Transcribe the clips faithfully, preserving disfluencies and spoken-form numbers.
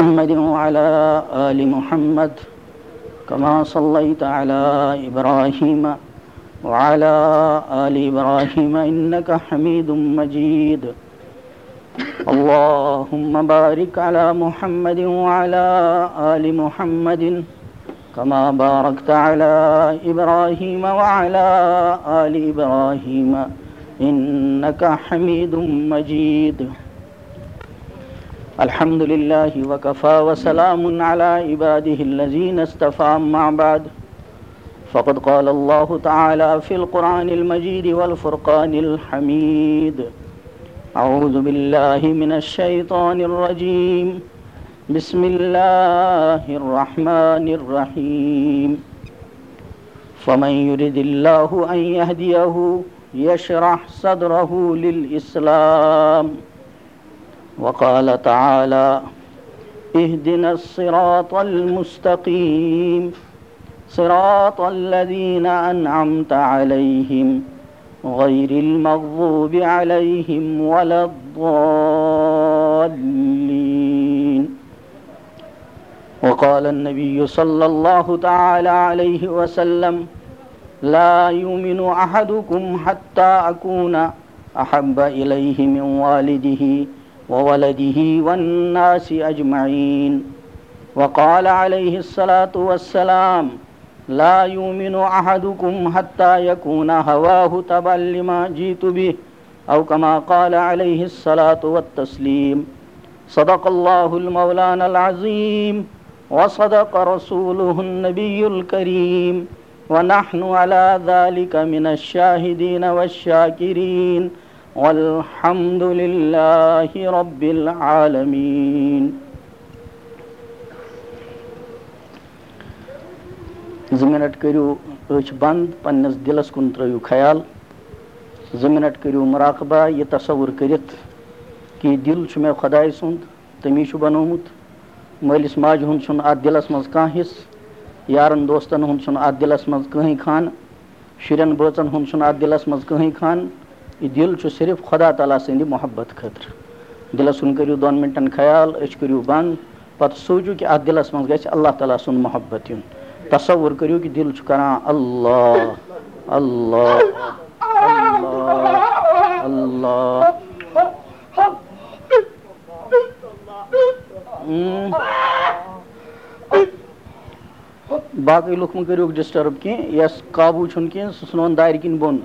محمد وعلى آل محمد كما صليت على إبراهيم وعلى آل إبراهيم إنك حميد مجيد. اللهم بارك على محمد وعلى آل محمد كما باركت على إبراهيم وعلى آل إبراهيم إنك حميد مجيد. الحمد لله وكفى وسلام على عباده الذين اصطفى، أما بعد، فقد قال الله تعالى في القرآن المجيد والفرقان الحميد: أعوذ بالله من الشيطان الرجيم. بسم الله الرحمن الرحيم. فمن يرد الله أن يهديه يشرح صدره للإسلام. وقال تعالى: اهدنا الصراط المستقيم، صراط الذين أنعمت عليهم، غير المغضوب عليهم ولا الضالين. وقال النبي صلى الله تعالى عليه وسلم: لا يؤمن أحدكم حتى أكون أحب إليه من والده وولده والناس أجمعين. وقال عليه الصلاة والسلام: لا يؤمن أحدكم حتى يكون هواه تبعا لما جئت به، أو كما قال عليه الصلاة والتسليم. صدق الله المولانا العظيم، وصدق رسوله النبي الكريم، ونحن على ذلك من الشاهدين والشاكرين، والحمد لله رب العالمين. زٕ منٹ کٔرِو أچھ بنٛد، پننِس دِلس کُن ترٲیِو خیال۔ زٕ منٹ کٔرِو مراقبہ، یہِ تصور کٔرِتھ کہِ یہِ دِل چھُ مےٚ خۄداے سُنٛد، تٔمی چھُ بنومُت۔ مٲلِس ماجہِ ہُنٛد چھُنہٕ اَتھ دِلس منٛز کانٛہہ حصہٕ، یارن دوستن ہُنٛد چھُنہٕ اَتھ دِلس منٛز کٕہٕنۍ خانہٕ، شُرٮ۪ن بٲژن ہُنٛد چھُنہٕ اَتھ دِلس منٛز کٕہٕنۍ خانہٕ۔ یہِ دِل چھُ صرف خۄدا تعالیٰ سٕنٛدِ محبت خٲطرٕ۔ دِلس کُن کٔرِو دۄن منٹن خیال، أچھ کٔرِو بنٛد، پتہٕ سوٗنٛچِو کہِ اَتھ دِلس منٛز گژھِ اللہ تعالیٰ سُنٛد محبت یُن۔ تصور کٔرِو کہِ دِل چھُ کران اللہ، اللہ، اللہ، اللہ۔ اۭں۔ باقٕے لُکھ مہٕ کٔرِو disturb کینٛہہ، یَس قابوٗ چھُنہٕ کینٛہہ، سُہ ژھٕنون دارِ کِنۍ بۄن۔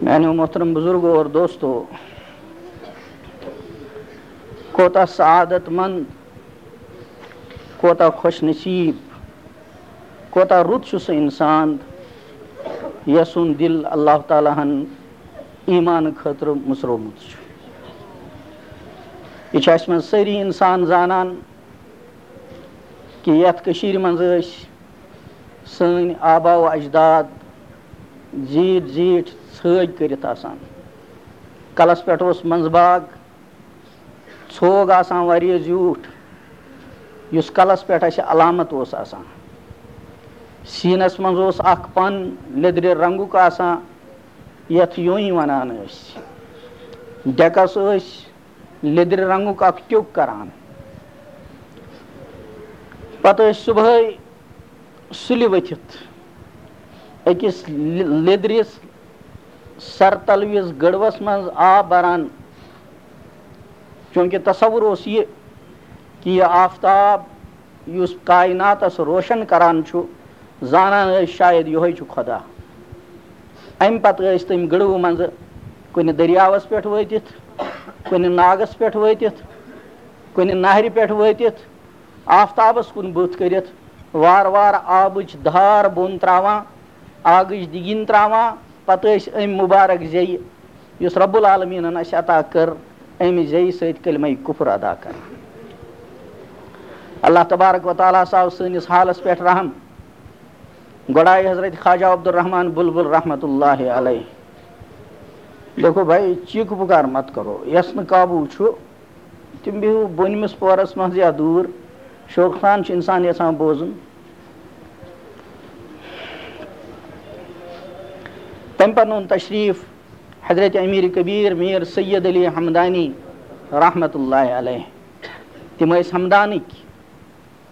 میانیو محترم بزرگو اور دوستو، کوتاہ سعادت مند، کوتاہ خوش نصیب، کوتاہ رُت چھُ سُہ اِنسان، یَسُنٛد دِل اللہ تعالیٰ ہن ایمان خٲطرٕ مُژرومُت چھُ۔ یہِ چھِ اَسہِ منٛز سٲری اِنسان زانان کہِ یَتھ کٔشیٖرِ منٛز ٲسۍ سٲنۍ آبا و اجداد زیٖٹھۍ زیٖٹھۍ ژھٲگۍ کٔرِتھ آسان۔ کلس پٮ۪ٹھ اوس منٛزباگ، ژھوگ آسان واریاہ زیوٗٹھ، یُس کلس پٮ۪ٹھ اَسہِ علامت اوس آسان۔ سیٖنس منٛز اوس اکھ پن لیٚدرِ رنگُک آسان، یَتھ یوٗنۍ وَنان ٲسۍ۔ ڈٮ۪کس ٲسۍ لیٚدرِ رنگُک اکھ ٹیوٚک کران۔ پتہٕ ٲسۍ صُبحٲے سُلہِ ؤتھِتھ أکِس لِ-، لیٚدرِس سرتلوِس گٔڑوَس منٛز آب بَران، چوٗنٛکہِ تصوُر اوس یہِ کہِ یہِ آفتاب یُس کائناتَس روشن کران چھُ، زانان ٲسۍ شاید یِہوٚے چھُ خۄدا۔ اَمہِ پتہٕ ٲسۍ تٔمۍ گٔڑوٕ منٛزٕ کُنہِ دٔریاوَس پٮ۪ٹھ وٲتِتھ، کُنہِ ناگَس پٮ۪ٹھ وٲتِتھ، کُنہِ نہرِ پٮ۪ٹھ وٲتِتھ، آفتابس کُن بُتھ کٔرِتھ وارٕ وارٕ آبٕچ دھار بۄن تراوان، آگٕچ دِگِنۍ تراوان، پتہٕ ٲسۍ أمۍ مُبارک زیٚیہِ، یُس رب العالمیٖنن اَسہِ عطا کٔر، اَمہِ زیٚیہِ سۭتۍ کلمہ کفر ادا کران۔ اللہ تبارک و تعالیٰ ہس آو سٲنِس حالس پٮ۪ٹھ رحم۔ گۄڈٕ آیہِ حضرت خواجہ عبدالرحمان بلبل رحمتہ اللہ علیہ۔ دیکھو بھائی، چیٖکہٕ پُکار مت کرو، یَس نہٕ قابوٗ چھُ، تِم بِہِو بۄنمِس پورس منٛز یا دوٗر۔ شوقہٕ سان چھُ اِنسان یَژھان بوزُن۔ تَمہِ پتہٕ اوٚن تشریٖف حضرت امیر کبیر میر سید علی حمدانی رحمت اللہ علیہ۔ تِم ٲسۍ حمدانٕکۍ۔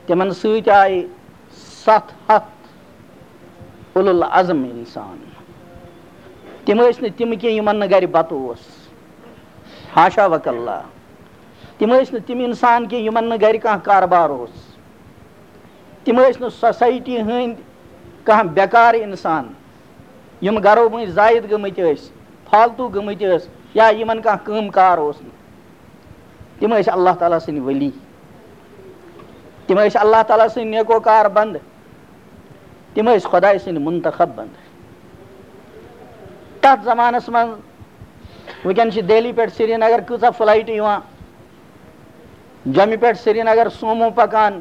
تِمن سۭتۍ آیہِ ستھ ہتھ اولو العزم انسان۔ تِم ٲسۍ نہٕ تِم کینٛہہ یِمن نہٕ گرِ بتہٕ اوس، حاشا وکلا۔ تِم ٲسۍ نہٕ تِم انسان کینٛہہ یِمن نہٕ گرِ کانٛہہ کاربار اوس۔ تِم ٲسۍ نہٕ سوسایٹی ہٕنٛدۍ کانٛہہ بیکار انسان، یِم گرو مٔنٛزۍ زاید گٔمٕتۍ ٲسۍ، فالتو گٔمٕتۍ ٲسۍ، یا یِمن کانٛہہ کٲم کار اوس نہٕ۔ تِم ٲسۍ اللہ تعالیٰ سٕنٛدۍ ولی۔ تِم ٲسۍ اللہ تعالیٰ سٕنٛدۍ نیکوکار بندٕ۔ تِم ٲسۍ خۄداے سٕنٛدۍ منتخب بندٕ۔ تتھ زمانس منٛز، وٕنکیٚن چھِ دہلی پٮ۪ٹھ سرینگر کۭژاہ فلایٹہٕ یِوان، جوٚمہِ پٮ۪ٹھ سرینگر سومو پکان،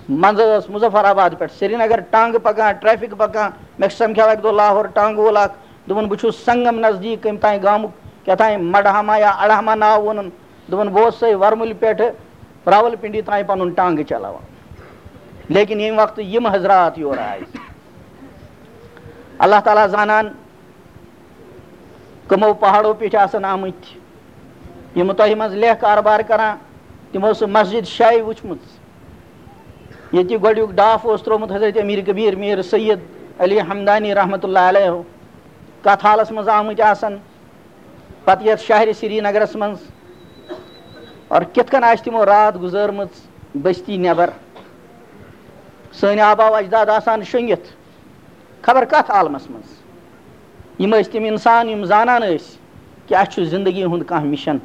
منٛزٕ ٲس مظفر آباد پٮ۪ٹھ سرینگر ٹانگہٕ پکان، ٹریفک پکان۔ مےٚ سمکھیو اکہِ دۄہ لاہور ٹانگہٕ وول اکھ، دوٚپُن، "بہٕ چھُس سنگم نزدیٖک کٔمۍ تام گامُک، کیٛاہ تام مڈہاما یا اڑہما ناو ووٚنُن۔" دوٚپُن، "بہٕ اوسُس سۄے ورمُلہِ پٮ۪ٹھٕ راولپنڈی تام پنُن ٹانگہٕ چلاوان، لیکن ییٚمہِ وقتہٕ یِم حضرات یور آے۔" اللہ تعالیٰ زانان کٕمو پہاڑو پیٚٹھۍ آسن آمٕتۍ۔ یِم تۄہہِ منٛز لیکھ کاربار کران، تِمو سُہ مسجد شاہی وٕچھمٕژ، ییٚتہِ گۄڈٕنیُک ڈاپھ اوس ترٛوومُت حضرت امیر کبیر میر سید علی حمدانی رحمت اللہ علیہ۔ کتھ حالس منٛز آمٕتۍ آسن، پتہٕ یتھ شہرِ سرینگرس منٛز، اور کِتھ کٔنۍ آسہِ تِمو راتھ گُزٲرمٕژ بستی نٮ۪بر۔ سٲنۍ آبا و اجداد آسان شۄنگِتھ خبر کتھ عالمس منٛز۔ یِم ٲسۍ تِم انسان یِم زانان ٲسۍ کہِ اسہِ چھُ زندگی ہُنٛد کانٛہہ مِشن،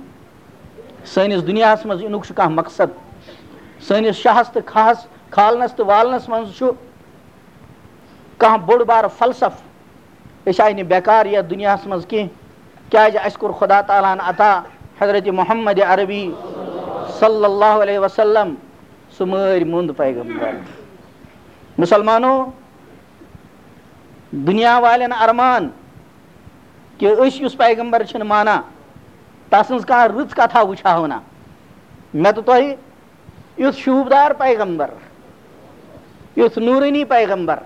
سٲنِس دُنیاہس منٛز یِنُک چھُ کانٛہہ مقصد، سٲنِس شاہس تہٕ کھاہس، کھالنس تہٕ والنس منٛز چھُ کانٛہہ بوٚڑ بارٕ فلسفہٕ۔ أسۍ آیہِ نہٕ بیکار یتھ دُنیاہس منٛز کینٛہہ، کیازِ اسہِ کوٚر خدا تعالیٰ ہن عطا حضرت محمد عربی صلی اللہ علیہ وسلم، سُہ مٲرۍ موٚنٛد پیغمبر۔ مسلمانو، دُنیا والٮ۪ن ارمان کہِ أسۍ یُس پیغمبر چھِنہٕ مانان، تسٕنٛز کانٛہہ رٕژ کتھا وٕچھہو نہٕ۔ مےٚ تہٕ تۄہہِ یُتھ شوٗبدار پیغمبر، یُتھ نوٗرٲنی پیغمبر۔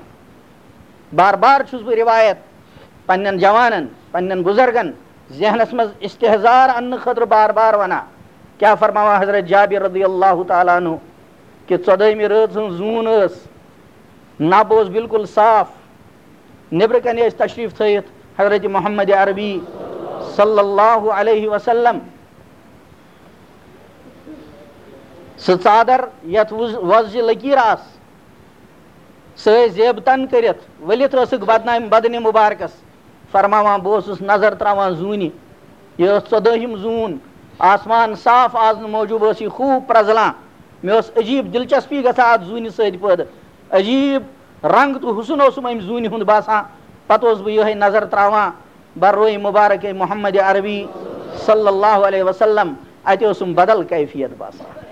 بار بار چھُس بہٕ روایت پننٮ۪ن جوانن، پننٮ۪ن بُزرگن ذہنس منٛز استحضار اننہٕ خٲطرٕ بار بار ونان۔ کیٛاہ فرماوان حضرت جابر رضی اللہ تعالیٰ عنہ کہِ ژۄدٲہمہِ رٲژ ہٕنٛز زوٗن ٲس، نب اوس بالکل صاف، نیٚبرٕ کنہِ ٲسۍ تشریٖف تھٲیِتھ حضرت محمد عربی صلی اللہ علیہ وسلم۔ سُہ ژادر یتھ وُز-، وۄزجہِ لکیٖر آسہٕ، سُہ ٲسۍ زیب تن کٔرِتھ ؤلِتھ ٲسٕکھ بدنامہِ بدنہِ مُبارکس فرماوان۔ بہٕ اوسُس نظر تراوان زوٗنہِ، یہِ ٲس ژۄدٲہِم زوٗن، آسمان صاف، آز نہٕ موجوٗب ٲس یہِ خوٗب پرٛزلان۔ مےٚ ٲس عجیٖب دلچسپی گژھان اتھ زوٗنہِ سۭتۍ پٲدٕ، عجیٖب رنگ تہٕ حُسن اوسُم امہِ زوٗنہِ ہُنٛد باسان۔ پتہٕ اوسُس بہٕ یِہوٚے نظر تراوان بر روے مبارک محمد عربی صلی اللہ علیہ وسلم، اتہِ اوسُم بدل کیفیت باسان۔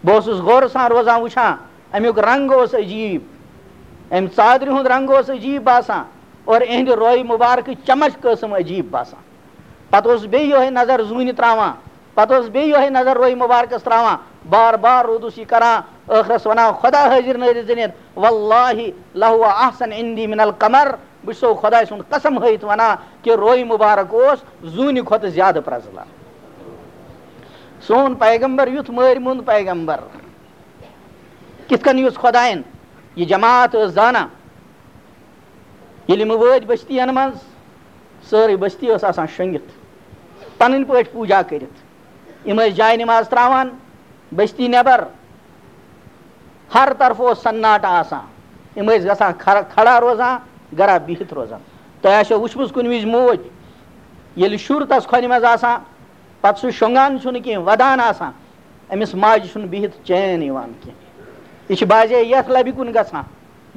بہٕ اوسُس غورٕ سان روزان وٕچھان، امیُک رنگ اوس عجیٖب، امہِ ژادرِ ہُنٛد رنگ اوس عجیٖب باسان، اور اِہنٛدِ روے مبارکٕچ چمک ٲسٕم عجیٖب باسان۔ پتہٕ اوسُس بیٚیہِ یِہوٚے نظر زوٗنہِ تراوان، پتہٕ اوسُس بیٚیہِ یِہوٚے نظر روے مبارکس تراوان، بار بار روٗدُس یہِ کران، ٲخرس ونان، "خدا حٲضِر نٲضِر زٔنِتھ، واللہ لہو احسن عندی من القمر"، بہٕ چھُسو خۄداے سُنٛد قسم ہٲیِتھ ونان کہِ روے مبارک اوس زوٗنہِ کھۄتہٕ زیادٕ پرٛزلان۔ سون پیغمبر یُتھ مٲرۍ موٚنٛد پیغمبر، کِتھ کٔنۍ یُس خۄداین یہِ جماعت ٲس زانان، ییٚلہِ یِم وٲتۍ بٔستی ین منٛز، سٲرٕے بٔستی ٲس آسان شۄنٛگِتھ، پنٕنۍ پٲٹھۍ پوٗجا کٔرِتھ۔ یِم ٲسۍ جاے نماز تراوان بٔستی نٮ۪بر، ہر طرفہٕ اوس سناٹہٕ آسان۔ یِم ٲسۍ گژھان کھر-، کھڑا روزان، گرا بِہِتھ روزان۔ تۄہہِ آسیو وٕچھمٕژ کُنہِ وِزِ موج، ییٚلہِ شُر تس کھۄنہِ منٛز آسان، پتہٕ سُہ شۄنٛگان چھُنہٕ کینٛہہ، ودان آسان، أمِس ماجہِ چھُنہٕ بِہِتھ چین یِوان کینٛہہ۔ یہِ چھِ بازے یتھ لبہِ کُن گژھان،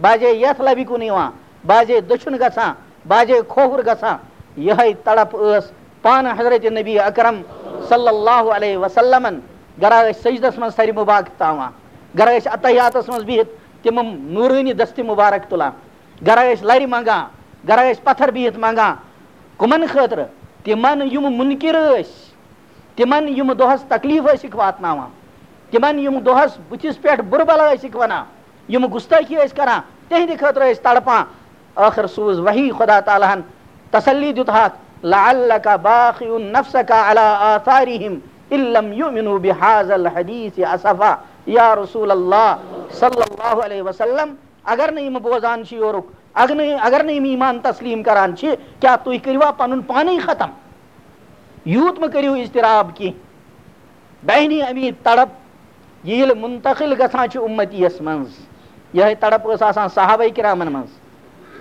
بازے یتھ لبہِ کُن یِوان، بازے دٔچھُن گژھان، بازے کھووُر گژھان۔ یِہے تڑپ ٲس پانہٕ حضرت نبی اکرم صلی اللہ علیہ وسلمن۔ گرا ٲسۍ سجدس منٛز سرِ مبارک تھاوان، گرا ٲسۍ اتحیاتس منٛز بِہِتھ تِم نورٲنی دستِ مبارک تُلان، گرا ٲسۍ لرِ منٛگان، گرا ٲسۍ پتھر بِہِتھ منٛگان۔ کُمن خٲطرٕ؟ تِمن یِم مُنکِر ٲسۍ، تِمن یِم دۄہس تکلیف ٲسِکھ واتناوان، تِمن یِم دۄہس بٕتھِس پٮ۪ٹھ بُرٕ بلا ٲسِکھ ونان، یِم گُستٲخی ٲسۍ کران، تِہنٛدِ خٲطرٕ ٲسۍ تڑپان۔ ٲخٕر سوٗز وحی خدا تعالیٰ ہن، تسلی دیُت ہاکھ، "لعلک باخع نفسک علی آثارہم ان لم یؤمنوا بہذا الحدیث اسفا"۔ یا رسول اللہ صلی اللہ علیہ وسلم، اگر نہٕ یِم بوزان چھِ یورُک، اگر نہٕ، اگر نہٕ یِم ایمان تسلیم کران چھِ، کیٛاہ تُہۍ کٔرِوا پنُن پانے ختم؟ یوٗت مہٕ کٔرِو اضطراب کینٛہہ۔ داہنی امی تڑپ ییٚلہِ منتقل گژھان چھِ اُمتی یس منٛز، یِہے تڑپ ٲس آسان صحابہ کرامن منٛز۔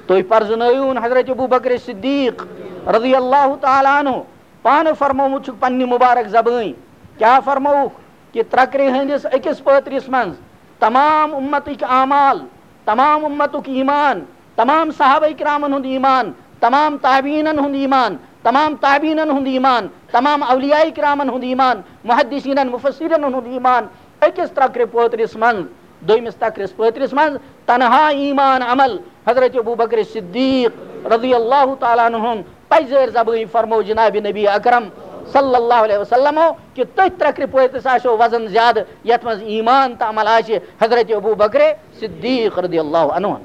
تُہۍ پرزنٲیوُن حضرت ابو بکر صدیق رضی اللہ تعالیٰ عنہ، پانہٕ فرمومُت چھُکھ پننہِ مبارک زبٲنۍ۔ کیٛاہ فرمووُکھ؟ کہ ترکرِ ہٕنٛدِس أکِس پٲترِس منٛز تمام اُمتٕکۍ اعمال، تمام اُمتُک ایمان، تمام صحابہ کرامن ہُنٛد ایمان، تمام تابعینن ہُنٛد ایمان، تمام تابعینن ہُنٛد ایمان، تمام اولیاء کرامن ہُنٛد ایمان، محدثینن، مفسرینن ہُنٛد ایمان، أکِس ترکرِ پٲترِس منٛز، دوٚیمِس تکرِس پٲترِس منٛز تنہا ایمان عمل حضرت ابو بکر صدیق رضی اللہ تعالیٰ عنہ ہُنٛد پزیر زبٲنۍ فرمو جناب نبی اکرم صلی اللہ علیہ وسلمو کہ تٔتھۍ ترکرِ پٲترِس آسیو وزن زیادٕ، یتھ منٛز ایمان تہٕ عمل آسہِ حضرت ابو بکر صدیق رضی اللہ عنہ ہُنٛد۔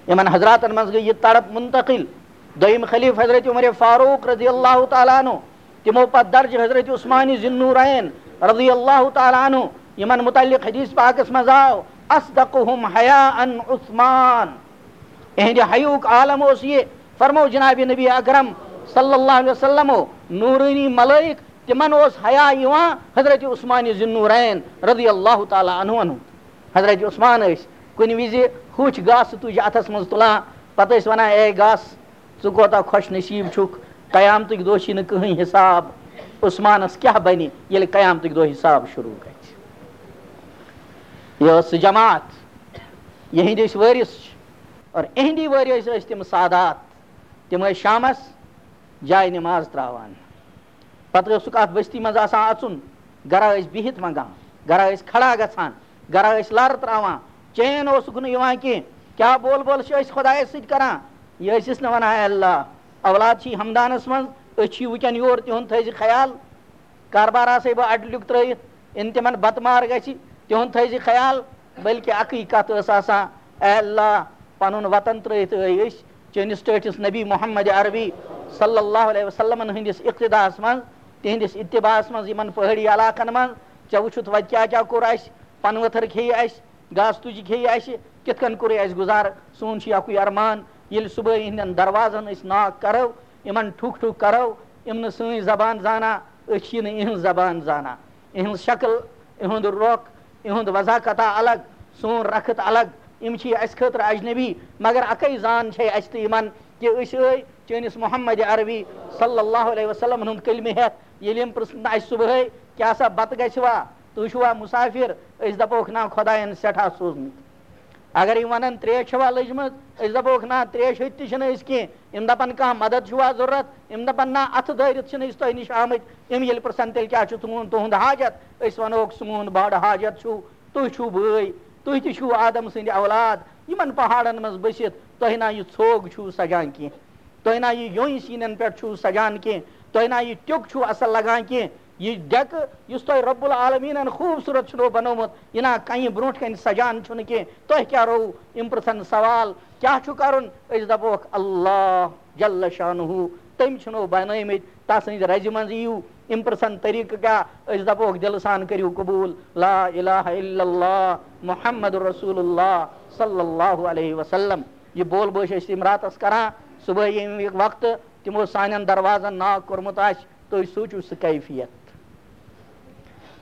یِمن حضراتن منٛز گٔے یہِ تڑپ منتقل۔ دوٚیِم خلیفہٕ حضرت عمر فاروق رضی اللہ تعالیٰ عنہ، تِمو پتہٕ درج حضرت عثمان ذی النورین رضی اللہ تعالیٰ عنہ، یِمن متعلق حدیث پاکس منٛز آو، "اصدقهم حیاء عثمان"۔ اِہنٛدِ حیاہُک عالم اوس یہِ، فرمو جناب نبی اکرم صلی اللہ علیہ وسلمو، نورانی ملائک، تِمن اوس حیا یِوان حضرت عثمان ذی النورین رضی اللہ تعالیٰ عنہ عنہ۔ حضرت عثمان ٲسۍ کُنہِ وِزِ ہوٚچھ گاسہٕ تُج اتھس منٛز تُلان، پتہٕ ٲسۍ ونان، "اے گاسہٕ، ژٕ کوتاہ خۄش نصیٖب چھُکھ، قیامتٕکۍ دۄہ چھی نہٕ کٕہٕنۍ حساب۔ عثمانس کیٛاہ بنہِ، ییٚلہِ قیامتٕکۍ دۄہ حساب شروع گژھِ؟" یہِ ٲس سُہ جماعت، یِہنٛدۍ ٲسۍ وٲرِث چھِ، اور اِہنٛدی وٲرِث ٲسۍ تِم سادات۔ تِم ٲسۍ شامس جایہِ نماز تراوان۔ پتہٕ اوسُکھ اتھ بستی منٛز آسان اژُن، گرا ٲسۍ بِہِتھ منٛگان، گرا ٲسۍ کھڑا گژھان، گرا ٲسۍ لر تراوان، چین اوسُکھ نہٕ یِوان کینٛہہ۔ کیٛاہ بول بول چھِ أسۍ خۄدایس سۭتۍ کران؟ یہِ ٲسِس نہٕ ونان، "اے اللہ، اولاد چھی ہمدانس منٛز، أسۍ چھی وٕنکٮ۪ن یور، تِہُنٛد تھٲیزِ خیال۔ کاربار آسے بہٕ اڈٕ لیُک ترٲیِتھ، یِن تِمن بتہٕ مار گژھِ، تِہُنٛد تھٲیزِ خیال۔" بلکہِ اکٕے کتھ ٲس آسان، "اے اللہ، پنُن وطن ترٲیِتھ ٲے أسۍ چٲنِس ٹٲٹھِس نبی محمد عربی صلی اللہ علیہ وسلمن ہٕنٛدِس اقتداہس منٛز، تِہنٛدِس اتباعس منٛز، یِمن پہٲڑی علاقن منٛز، ژےٚ وٕچھُتھ وتہِ کیٛاہ کیٛاہ کوٚر اَسہِ، پنہٕ ؤتھٕر کھیٚیہِ اَسہِ، گاسہٕ تُجہِ کھیٚیہِ اَسہِ، کِتھ کٔنۍ کوٚرُے اَسہِ گُزارٕ؟ سون چھُ یہِ اکُے ارمان، ییٚلہِ صُبحٲے یِہنٛدٮ۪ن دروازن أسۍ knock کرو، یِمن ٹھُک ٹھُک کرو، یِم نہٕ سٲنۍ زبان زانان، أسۍ چھِ نہٕ یِہنٛز زبان زانان، یِہنٛز شکل، یِہُنٛد رۄخ، یِہُنٛد وضاحت الگ، سون رخت الگ، یِم چھِ اَسہِ خٲطرٕ اجنبی، مگر اَکٕے زان چھے اَسہِ تہٕ یِمن کہِ أسۍ ٲے چٲنِس محمد عربی صلی اللہ علیہ وسلمن ہُنٛد کلمہٕ ہٮ۪تھ، ییٚلہِ یِم پرٛژھن اَسہِ صُبحٲے، کیٛاہ سا بتہٕ گژھِ وا؟ تُہۍ چھِوا مُسافِر؟ أسۍ دَپوکھ، "نہ، خۄدایَن سٮ۪ٹھاہ سوٗزمٕتۍ۔" اگر یِم وَنَن، "ترٛیش چھَوا لٔجمٕژ؟" أسۍ دَپوکھ، "نہ، ترٛیش ہیٚتھ تہِ چھِنہٕ أسۍ کینٛہہ۔" یِم دَپَن، "کانٛہہ مَدَد چھُوا ضروٗرت؟" یِم دَپَن، "نہ، اَتھٕ دٲرِتھ چھِنہٕ أسۍ تۄہہِ نِش آمٕتۍ۔" یِم ییٚلہِ پرٛژھَن، "تیٚلہِ کیٛاہ چھُ تُہُنٛد، تُہُنٛد حاجت؟" أسۍ وَنوکھ، "سون بَڑٕ حاجت چھُ، تُہۍ چھِو بٲے، تُہۍ تہِ چھِو آدم سٕنٛدۍ اولاد۔" یِمَن پہاڑَن منٛز بٔسِتھ تۄہہِ نا یہِ ژھوگ چھُو سَجان کینٛہہ۔ تۄہہِ نا یہِ یوٚنۍ سیٖنَن پٮ۪ٹھ چھُو سَجان کینٛہہ، تۄہہِ نا یہِ ٹیوٚک چھُو اَصٕل لَگان کینٛہہ، یہِ ڈٮ۪کہٕ یُس تۄہہِ رب العالمیٖنَن خوٗبصوٗرت چھُنو بَنومُت، یہِ نا کَنہِ برٛونٛٹھ کَنہِ سَجان چھُنہٕ کینٛہہ، تۄہہِ کیٛاہ روٚو یِم پِرٛژھَن سوال، کیٛاہ چھُ کَرُن؟ أسۍ دَپوکھ، اللہ جل شانہُ، تٔمۍ چھُنو بَنٲومٕتۍ، تَس سٕنٛزِ رَزِ منٛز یِیِو، یِم پِرٛژھَن طریٖقہٕ کیٛاہ؟ أسۍ دَپوکھ دِلہٕ سان کٔرِو قبوٗل، لا الہ الا اللہ محمد رسول اللہ صلی اللہ علیہ وسلم۔ یہِ بول بٲش ٲسۍ تِم راتَس کَران، صُبحٲے ییٚمہِ وقتہٕ تِمو سانٮ۪ن دروازن knock کوٚرمُت آسہِ، تُہۍ سوٗنٛچِو سُہ کیفیت۔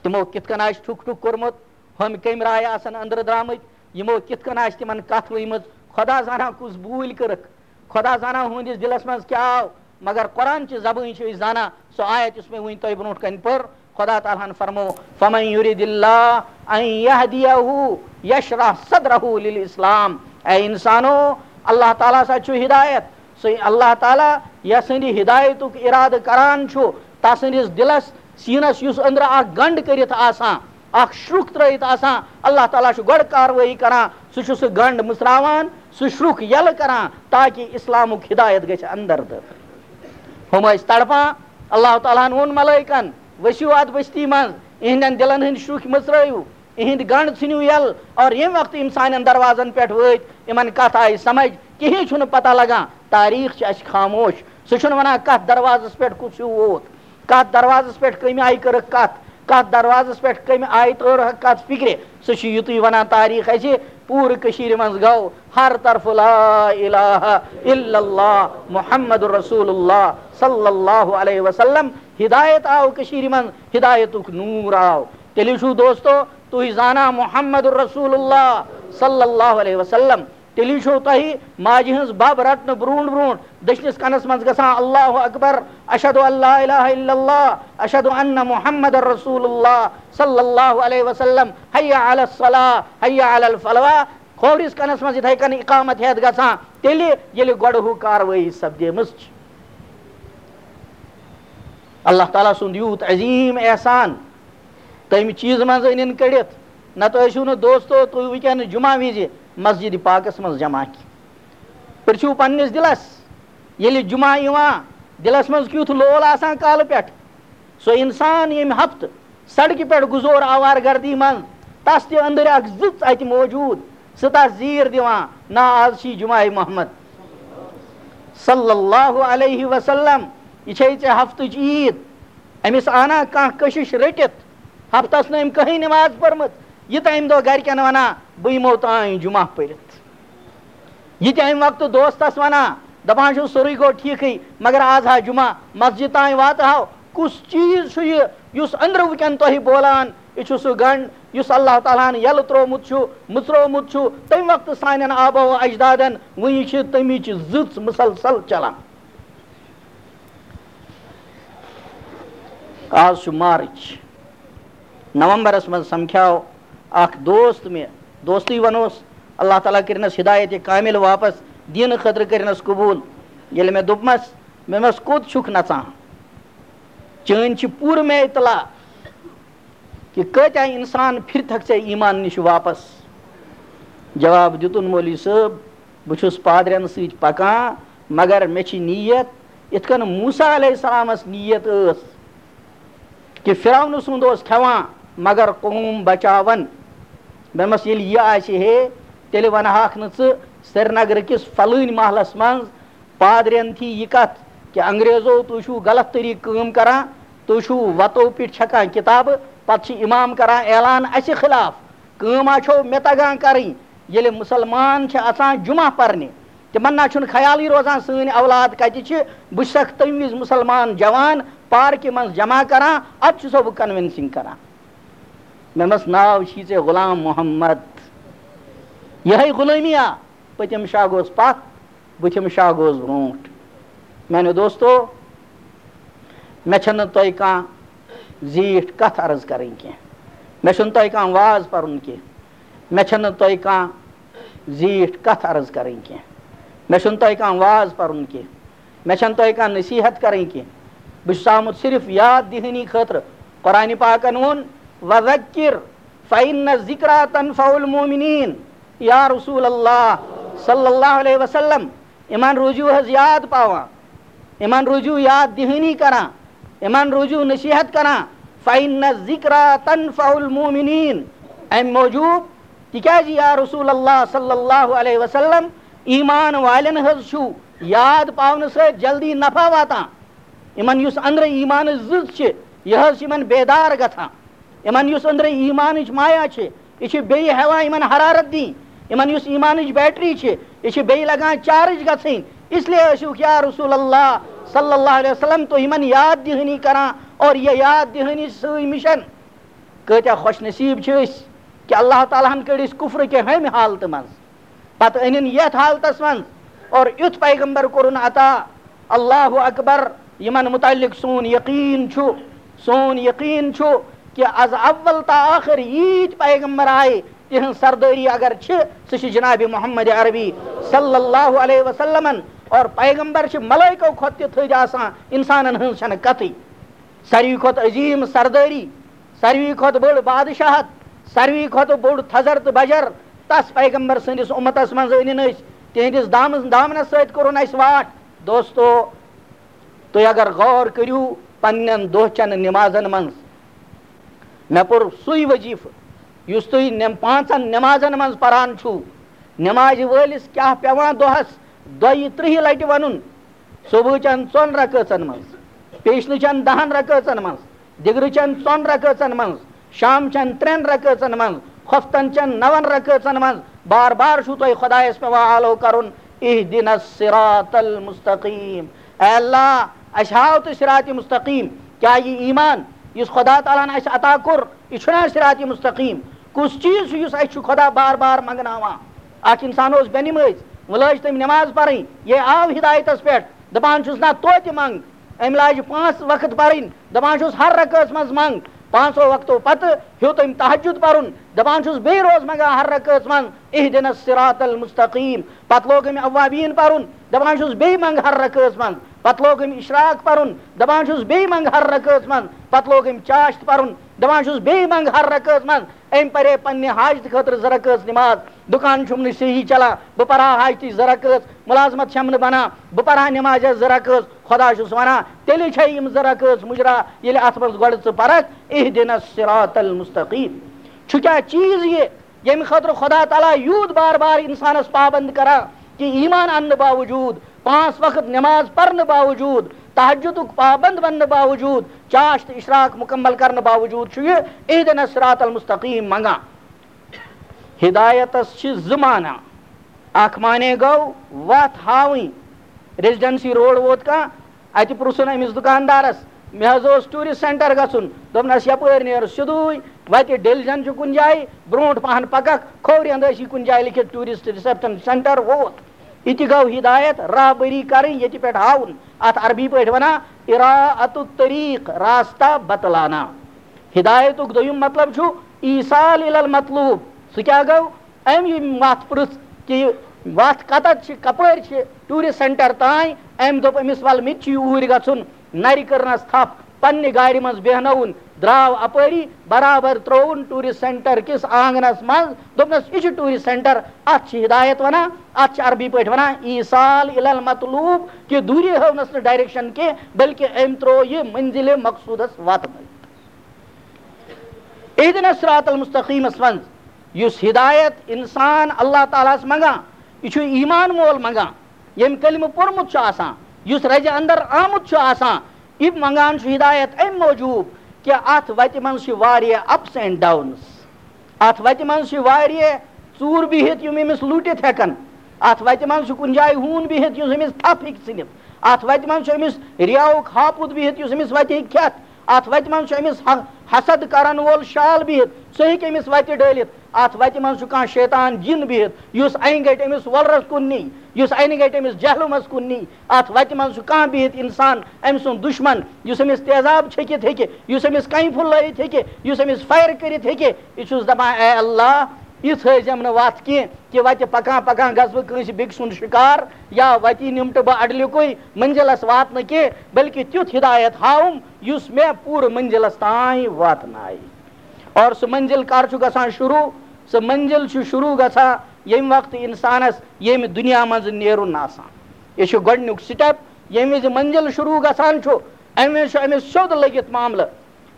تِمو کِتھ کٔنۍ آسہِ ٹھُک ٹھُک کوٚرمُت، ہُم کَمہِ راے آسن أنٛدرٕ درٛامٕتۍ، یِمو کِتھ کٔنۍ آسہِ تِمن کَتھ ؤنمٕژ، خۄدا زانان کُس بوٗلۍ کٔرٕکھ، خۄدا زانان ہُہٕنٛدِس دِلس منٛز کیٛاہ آو، مگر قرآن چہِ زبٲنۍ چھِ أسۍ زانان۔ سۄ آیت یُس مےٚ وٕنۍ تۄہہِ برونٛٹھ کَنہِ پٔر، خدا تعالیٰ ہن فرمو، "فمن یرد اللہ ان یہدیہ یشرح صدرہ للاسلام"۔ اے انسانو، اللہ تعالیٰ سا چھُ ہدایت، سُہ اللہ تعالیٰ یَس سٕنٛدِ ہدایتُک ارادٕ کران چھُ، تَسٕنٛدِس دِلس، سیٖنس یُس أنٛدرٕ اکھ گنٛڈ کٔرِتھ آسان، اکھ شرُک ترٲوِتھ آسان، اللہ تعالیٰ چھُ گۄڈٕ کاروٲیی کران، سُہ چھُ سُہ گنٛڈ مٕژراوان، سُہ شرُک یَلہٕ کران، تاکہِ اسلامُک ہدایت گژھِ اندر دٲخل۔ ہُم ٲسۍ تڑپان۔ اللہ تعالیٰ ہن ووٚن ملٲیکن، "ؤسِو اتھ بستی منٛز، اِہنٛدٮ۪ن دِلن ہٕنٛدۍ شُکھۍ مٔژرٲیِو، اِہنٛدۍ گنڈ ژھٕنِو یَلہٕ، اور ییٚمہِ وقتہٕ یِم سانٮ۪ن دروازن پٮ۪ٹھ وٲتۍ، یِمن کتھ آیہِ سمجھ، کِہیٖنۍ چھُنہٕ پتہ لگان، تاریخ چھِ اَسہِ خاموش، سُہ چھُنہٕ ونان کتھ دروازس پٮ۪ٹھ کُس ہیوٗ ووت، کتھ دروازس پٮ۪ٹھ کٔمۍ آیہِ کٔرٕکھ کتھ، کتھ دروازس پٮ۪ٹھ کٔمۍ آیہِ تٲرہکھ کتھ فکرِ، سُہ چھُ یُتُے ونان تاریخ اَسہِ، پوٗرٕ کٔشیٖرِ منٛز گوٚو ہر طرفہٕ لا الہ الا اللہ محمد رسول اللہ صلی اللہ علیہ وسلم۔ ہدایت آو کٔشیٖرِ منٛز، ہدایتُک نوٗر آو۔ تیٚلہِ چھُو دوستو تُہۍ زانان محمد رسول اللہ صلی اللہ علیہ وسلم۔ تیٚلہِ چھُو تۄہہِ ماجہِ ہٕنٛز بَب رَٹنہٕ برٛونٛٹھ برٛونٛٹھ دٔچھنِس کَنَس منٛز گژھان اللہ اکبر، اشہد ان لا الہ الا اللہ، اشہد ان محمد رسول اللہ صلی اللہ علیہ وسلم، حی علی الصلاح، حی علی الفلاح۔ کھوورِس کَنَس منٛز یِتھَے کٔنۍ اقامت ہٮ۪تھ گژھان، تیٚلہِ ییٚلہِ گۄڈٕ ہُہ کاروٲیی سپدیمٕژ چھِ۔ اللہ تعالیٰ سُنٛد یوٗت عظیٖم احسان، تَمہِ چیٖزٕ منٛز أنِن کٔڑِتھ، نَتہٕ ٲسِو نہٕ دوستو تُہۍ وٕنکٮ۪ن جمعہ وِزِ مسجد پاکَس منٛز جمع کینٛہہ۔ پِرٛژھِو پنٛنِس دِلَس، ییٚلہِ جمعہ یِوان، دِلَس منٛز کیُتھ لول آسان کالہٕ پٮ۪ٹھ؟ سُہ اِنسان ییٚمہِ ہفتہٕ سڑکہِ پٮ۪ٹھ گُزور آوارٕ گردی منٛز، تس تہِ أنٛدٕرۍ اکھ زٕژ اتہِ موجود، سُہ تس زیٖر دِوان، "نا، آز چھی جمعہ محمد صلی اللہ علیہ وسلم، یہِ چھے ژےٚ ہفتٕچ عیٖد۔" أمِس آنا کانٛہہ کشش رٔٹِتھ، ہفتس نہٕ أمۍ کٕہٕنۍ نماز پٔرمٕژ، یہِ تہٕ أمۍ دۄہ گرِکٮ۪ن ونان، "بہٕ یِمو تام جمعہ پٔرِتھ۔" یہِ تہِ اَمہِ وقتہٕ دوستس ونان، دپان چھُس، "سورُے گوٚو ٹھیٖکھٕے، مگر آز ہا جمعہ، مسجد تام واتہٕ ہاو۔" کُس چیٖز چھُ یہِ، یُس أنٛدرٕ وٕنکٮ۪ن تۄہہِ بولان، یہِ چھُ سُہ گنٛڈ، یُس اللہ تعالیٰ ہن یَلہٕ ترٛوومُت چھُ، مٕژروومُت چھُ، تَمہِ وقتہٕ سانٮ۪ن آبا و اجدادن، وٕنہِ چھِ تَمِچ زٕژ مُسلسل چلان۔ آز چھُ مارچ، نومبرس منٛز سمکھیو اکھ دوست مےٚ، دوستٕے ونوس، اللہ تعالیٰ کٔرِنس ہدایت کامل واپس، دیٖنہٕ خٲطرٕ کٔرِنس قبوٗل۔ ییٚلہِ مےٚ دوٚپمس، مےٚ ووٚنمس، "کوٚت چھُکھ نژان؟ چٲنۍ چھِ پوٗرٕ مےٚ اطلاع کہِ کۭتیٛاہ انسان پھِرتھکھ ژےٚ ایمان نِش واپس؟" جواب دیُتُن، "مولوی صٲب، بہٕ چھُس پادرٮ۪ن سۭتۍ پکان، مگر مےٚ چھِ نیت یِتھ کٔنۍ موسیٰ علیہ السلامس نیت ٲس کہِ فرعون سُنٛد اوس کھٮ۪وان مگر قوم بچاوان۔" مےٚ ووٚنمس، "ییٚلہِ یہِ آسہِ ہے، تیٚلہِ ونہٕ ہاکھ نہٕ ژٕ سرینگرٕ کِس فلٲنۍ محلس منٛز پادرٮ۪ن تھی یہِ کتھ کہِ انگریزو، تُہۍ چھِو غلط طریٖقہٕ کٲم کران، تُہۍ چھِو وتو پٮ۪ٹھ چھکان کتابہٕ، پتہٕ چھِ امام کران اعلان اسہِ خلاف۔ کٲم ہا چھو مےٚ تگان کرٕنۍ، ییٚلہِ مُسلمان چھِ اژان جمعہ پرنہِ، تِمن نہ چھُنہٕ خیالٕے روزان سٲنۍ اولاد کتہِ چھِ۔ بہٕ چھسکھ تمہِ وِزِ مُسلمان جوان پارکہِ منٛز جمع کران، ادٕ چھُسو بہٕ convincing کران۔" مےٚ ووٚنمس، "ناو چھی ژےٚ غلام محمد، یِہے غلٲمی آ، پٔتِم شاہ گوٚژھ پتھ، بُتھِم شاہ گوٚژھ برونٛٹھ۔" میانیو دوستو، مےٚ چھنہٕ تۄہہِ کانٛہہ زیٖٹھ کتھ عرض کرٕنۍ کینٛہہ، مےٚ چھُنہٕ تۄہہِ کانٛہہ واز پرُن کینٛہہ، مےٚ چھنہٕ تۄہہِ کانٛہہ زیٖٹھ کتھ عرض کرٕنۍ کینٛہہ، مےٚ چھُنہٕ تۄہہِ کانٛہہ واز پرُن کینٛہہ، مےٚ چھنہٕ تۄہہِ کانٛہہ نصیحت کرٕنۍ کینٛہہ۔ بہٕ چھُس آمُت صرف یاد دِہٲنی خٲطرٕ۔ قرآنِ پاکن ووٚن، "وذکر فإن الذکریٰ تنفع المؤمنین۔" یا رسول اللہ صلی اللہ علیہ وسلم، یِمن روٗزِو حظ یاد پاوان، یِمن روٗزِو یاد دِہٲنی کران، یِمن روٗزِو نصیحت کران۔ "فإن الذکریٰ تنفع المؤمنین"، امہِ موٗجوٗب تِکیازِ یا رسول اللہ صلی اللہ علیہ وسلم، ایمان والٮ۪ن حظ چھُ یاد پاونہٕ سۭتۍ جلدی نفع واتان۔ یِمن یُس أنٛدرٕ ایمانٕچ زٕژ چھِ، یہِ حظ چھِ یِمن بیدار گژھان۔ یِمن یُس أنٛدرٕ ایمانٕچ مایا چھِ، یہِ چھِ بیٚیہِ ہٮ۪وان یِمن حرارت دِنۍ۔ یِمن یُس ایمانٕچ بیٹری چھِ، یہِ چھِ بیٚیہِ لگان چارج گژھٕنۍ۔ اس لیے ٲسِو یا رسول اللہ صلی اللہ علیہ وسلم تُہۍ یِمن یاد دِہٲنی کران، اور یہِ یاد دِہٲنی سۭتۍ مِشن کۭتیٛاہ خۄش نصیٖب چھِ أسۍ کہِ اللہ تعالیٰ ہن کٔڑۍ أسۍ کُفرٕ کہِ ہیٚمہِ حالتہٕ منٛز، پتہٕ أنِن یتھ حالتس منٛز، اور یُتھ پیغمبر کوٚرُن عطا۔ اللہ اکبر۔ یِمن متعلق سون یقین چھُ، سون یقین چھُ کہِ از اول تا ٲخر ییٖتۍ پیغمبر آیہِ، تِہنٛز سردٲری اگر چھِ، سُہ چھِ جناب محمد عربی صلی اللہ علیہ وسلمن۔ اور پیغمبر چھِ ملائکو کھۄتہٕ تہِ تھٔدۍ آسان، انسانن ہٕنٛز چھنہٕ کتھٕے۔ ساروی کھۄتہٕ عظیٖم سردٲری، ساروی کھۄتہٕ بٔڑ بادشاہت، ساروی کھۄتہٕ بوٚڑ تھزر تہٕ بجر، تس پیغمبر سٕنٛدِس اُمتس منٛز أنِن أسۍ، تِہنٛدِس دامس، دامنس سۭتۍ کوٚرُن اَسہِ واٹھ۔ دوستو، تُہۍ اگر غور کٔرِو پننٮ۪ن دۄہ چٮ۪ن نمازن منٛز، مےٚ پوٚر سُے وظیفہٕ یُس تُہۍ نٮ۪م-، پانٛژن نمازن منٛز پران چھِو۔ نمازِ وٲلِس کیٛاہ پٮ۪وان دۄہس دۄیہِ ترٕٛہہِ لٹہِ ونُن؟ صبحٕچٮ۪ن ژۄن رکٲژن منٛز، پیشنٕچٮ۪ن دہن رکٲژن منٛز، دِگرٕچٮ۪ن ژۄن رکٲژن منٛز، شامچٮ۪ن ترٛٮ۪ن رکٲژن منٛز، خۄفتن چٮ۪ن نون رکٲژن منٛز بار بار چھُو تۄہہِ خۄدایس پٮ۪وان آلو کرُن، اہدنا الصراط المستقیم۔ اے اللہ، اسہِ ہاو تہٕ صراط مستقیم۔ کیٛاہ یہِ ایمان یُس خۄدا تعالیٰ ہن اسہِ عطا کوٚر، یہِ چھُنا صراط مستقیم؟ کُس چیٖز چھُ یُس اسہِ چھُ خۄدا بار بار منٛگناوان؟ اکھ انسان اوس بے نمٲز، وۄنۍ لٲج تٔمۍ نماز پرٕنۍ، یہِ آو ہدایتس پٮ۪ٹھ، دپان چھُس، نہ، توتہِ منٛگ۔ أمۍ لاجہِ پانٛژھ وقت پرٕنۍ، دپان چھُس، ہر رکٲژ منٛز منٛگ۔ پانٛژو وقتو پتہٕ ہیوٚت أمۍ تہجد پرُن، دپان چھُس، بیٚیہِ روز منٛگان ہر رکٲژ منٛز، اہدنا الصراط المستقیم۔ پتہٕ لوگ أمۍ اوابین پرُن، دپان چھُس، بیٚیہِ منٛگ ہر رکٲژ منٛز۔ پتہٕ لوگ أمۍ اشراق پرُن، دپان چھُس، بیٚیہِ منٛگ ہر رکٲژ منٛز۔ پتہٕ لوگ أمۍ چاشت پرُن، دپان چھُس، بیٚیہِ منٛگ ہر رکٲژ منٛز۔ أمۍ پرے پننہِ حاجتہٕ خٲطرٕ زٕ رکٲژ نماز۔ دُکان چھُم نہٕ صحیح چلان، بہٕ پرٕ ہا حاجتٕچ زٕ رکٲژ۔ ملازمت چھم نہٕ بنان، بہٕ پرٕ ہا نمازِ زٕ رکٲژ۔ خۄدا چھُس ونان، تیٚلہِ چھے یِم زٕ رکٲژ مُجرا، ییٚلہِ اتھ منٛز گۄڈٕ ژٕ پرکھ، اہدنا الصراط المستقیم۔ چھُ کیٛاہ چیٖز یہِ، ییٚمہِ خٲطرٕ خۄدا تعالیٰ یوٗت بار بار انسانس پابند کران کہِ ایمان اننہٕ باوجوٗد، پانٛژھ وقت نماز پرنہٕ باوجوٗد، تہجدُک پابند بننہٕ باوجوٗد، چاشت اشراق مکمل کرنہٕ باوجوٗد چھُ یہِ اہدنا الصراط المستقیم منگان۔ ہدایتس چھِ زٕ معنی۔ اکھ معنی گوٚو وتھ ہاوٕنۍ۔ ریزیڈنسی روڈ ووت کانٛہہ، اتہِ پرژھُن أمِس دُکاندارس، مےٚ حظ اوس ٹوٗرسٹ سینٹر گژھُن۔ دوٚپنس، یپٲرۍ نیر سیوٚدُے، وتہِ ڈیلجن چھُ کُنہِ جایہِ، برونٛٹھ پہن پککھ، کھوورِ اندٕ ٲسی کُنہِ جایہِ لیکھِتھ ٹوٗرسٹ ریسپشن سینٹر ووت۔ یہِ تہِ گوٚو ہدایت، راہبری کرٕنۍ، ییٚتہِ پٮ۪ٹھ ہاوُن۔ اتھ عربی پٲٹھۍ ونان اراءۃ الطریق، راستہ بتلانا۔ ہدایتُک دوٚیُم مطلب چھُ ایصال الی المطلوب۔ سُہ کیٛاہ گوٚو؟ أمۍ یِم وَتھ پرٛژھ کہِ یہِ وَتھ کَتَتھ چھِ، کَپٲرۍ چھِ ٹوٗرِسٹ سٮ۪نٹَر تام۔ أمۍ دوٚپ أمِس، وَلہٕ مےٚ تہِ چھُ یوٗرۍ گژھُن۔ نَرِ کٔرنَس تھَپھ، پنٛنہِ گاڑِ منٛز بیٚہنٲوُن، درٛاو اَپٲری، برابر ترٛووُن ٹوٗرِسٹ سٮ۪نٹَر کِس آنٛگنَس منٛز۔ دوٚپنَس، یہِ چھُ ٹوٗرِسٹ سٮ۪نٹَر، اَتھ چھِ ہدایت وَنان، اَتھ چھِ عربی پٲٹھۍ وَنان ایصال الی المطلوب، کہِ دوٗرِ ہٲونَس نہٕ ڈایریکشَن کینٛہہ، بلکہِ أمۍ ترٛوو یہِ منزلِ مقصوٗدَس واتنٲوِتھ۔ اہدنا الصراط المستقیمس منٛز یُس ہدایت انسان اللہ تعالیٰ ہس منگان، یہِ چھُ ایمان مول منگان، ییٚمۍ کلمہٕ پوٚرمُت چھُ آسان، یُس رزِ اندر آمُت چھُ آسان، یہِ منگان چھُ ہدایت امہِ موٗجوٗب کہِ اتھ وتہِ منٛز چھِ واریاہ ups and downs۔ اتھ وتہِ منٛز چھِ واریاہ ژوٗر بِہِتھ، یِم أمِس لوٗٹِتھ ہٮ۪کن۔ اتھ وتہِ منٛز چھُ کُنہِ جایہِ ہوٗن بِہِتھ، یُس أمِس تھپھ ہیٚکہِ ژھٕنِتھ۔ اتھ وتہِ منٛز چھُ أمِس رِیاہُک ہاپُت بِہِتھ، یُس أمِس وتہِ ہیٚکہِ کھٮ۪تھ۔ اتھ وتہِ منٛز چھُ أمِس ح-، حسد کرن وول شال بِہِتھ، سُہ ہیٚکہِ أمِس وتہِ ڈٲلِتھ۔ اتھ وتہِ منٛز چھُ کانٛہہ شیطان جِن بِہِتھ، یُس انہِ گٹہِ أمِس وۄلرس کُن نی، یُس انہِ گٹہِ أمِس جہلمس کُن نی۔ اتھ وتہِ منٛز چھُ کانٛہہ بِہِتھ انسان، أمۍ سُنٛد دُشمن، یُس أمِس تیزاب چھٔکِتھ ہیٚکہِ، یُس أمِس کنہِ پھوٚل لٲیِتھ ہیٚکہِ، یُس أمِس فایَر کٔرِتھ ہیٚکہِ۔ یہِ چھُس دپان، اے اللہ، یہِ تھٲیزٮ۪م نہٕ وتھ کینٛہہ کہِ وتہِ پکان پکان گژھٕ بہٕ کٲنٛسہِ بیٚکہِ سُنٛد شکار، یا وتہِ نِمٹہٕ بہٕ اڈلیُکُے، منزلس واتنہٕ کینٛہہ، بلکہِ تیُتھ ہدایت ہاوُم یُس مےٚ پوٗرٕ منزلس تام واتنایہِ۔ اور سُہ منزل کر چھُ گژھان شروع؟ سُہ منزل چھُ شروع گژھان ییٚمہِ وقتہٕ انسانس ییٚمہِ دُنیا منٛز نیرُن آسان۔ یہِ چھُ گۄڈٕنیُک سٹیپ۔ ییٚمہِ وِزِ منزل شروع گژھان چھُ، امہِ وِزِ چھُ أمِس سیوٚد لٔگِتھ معاملہٕ۔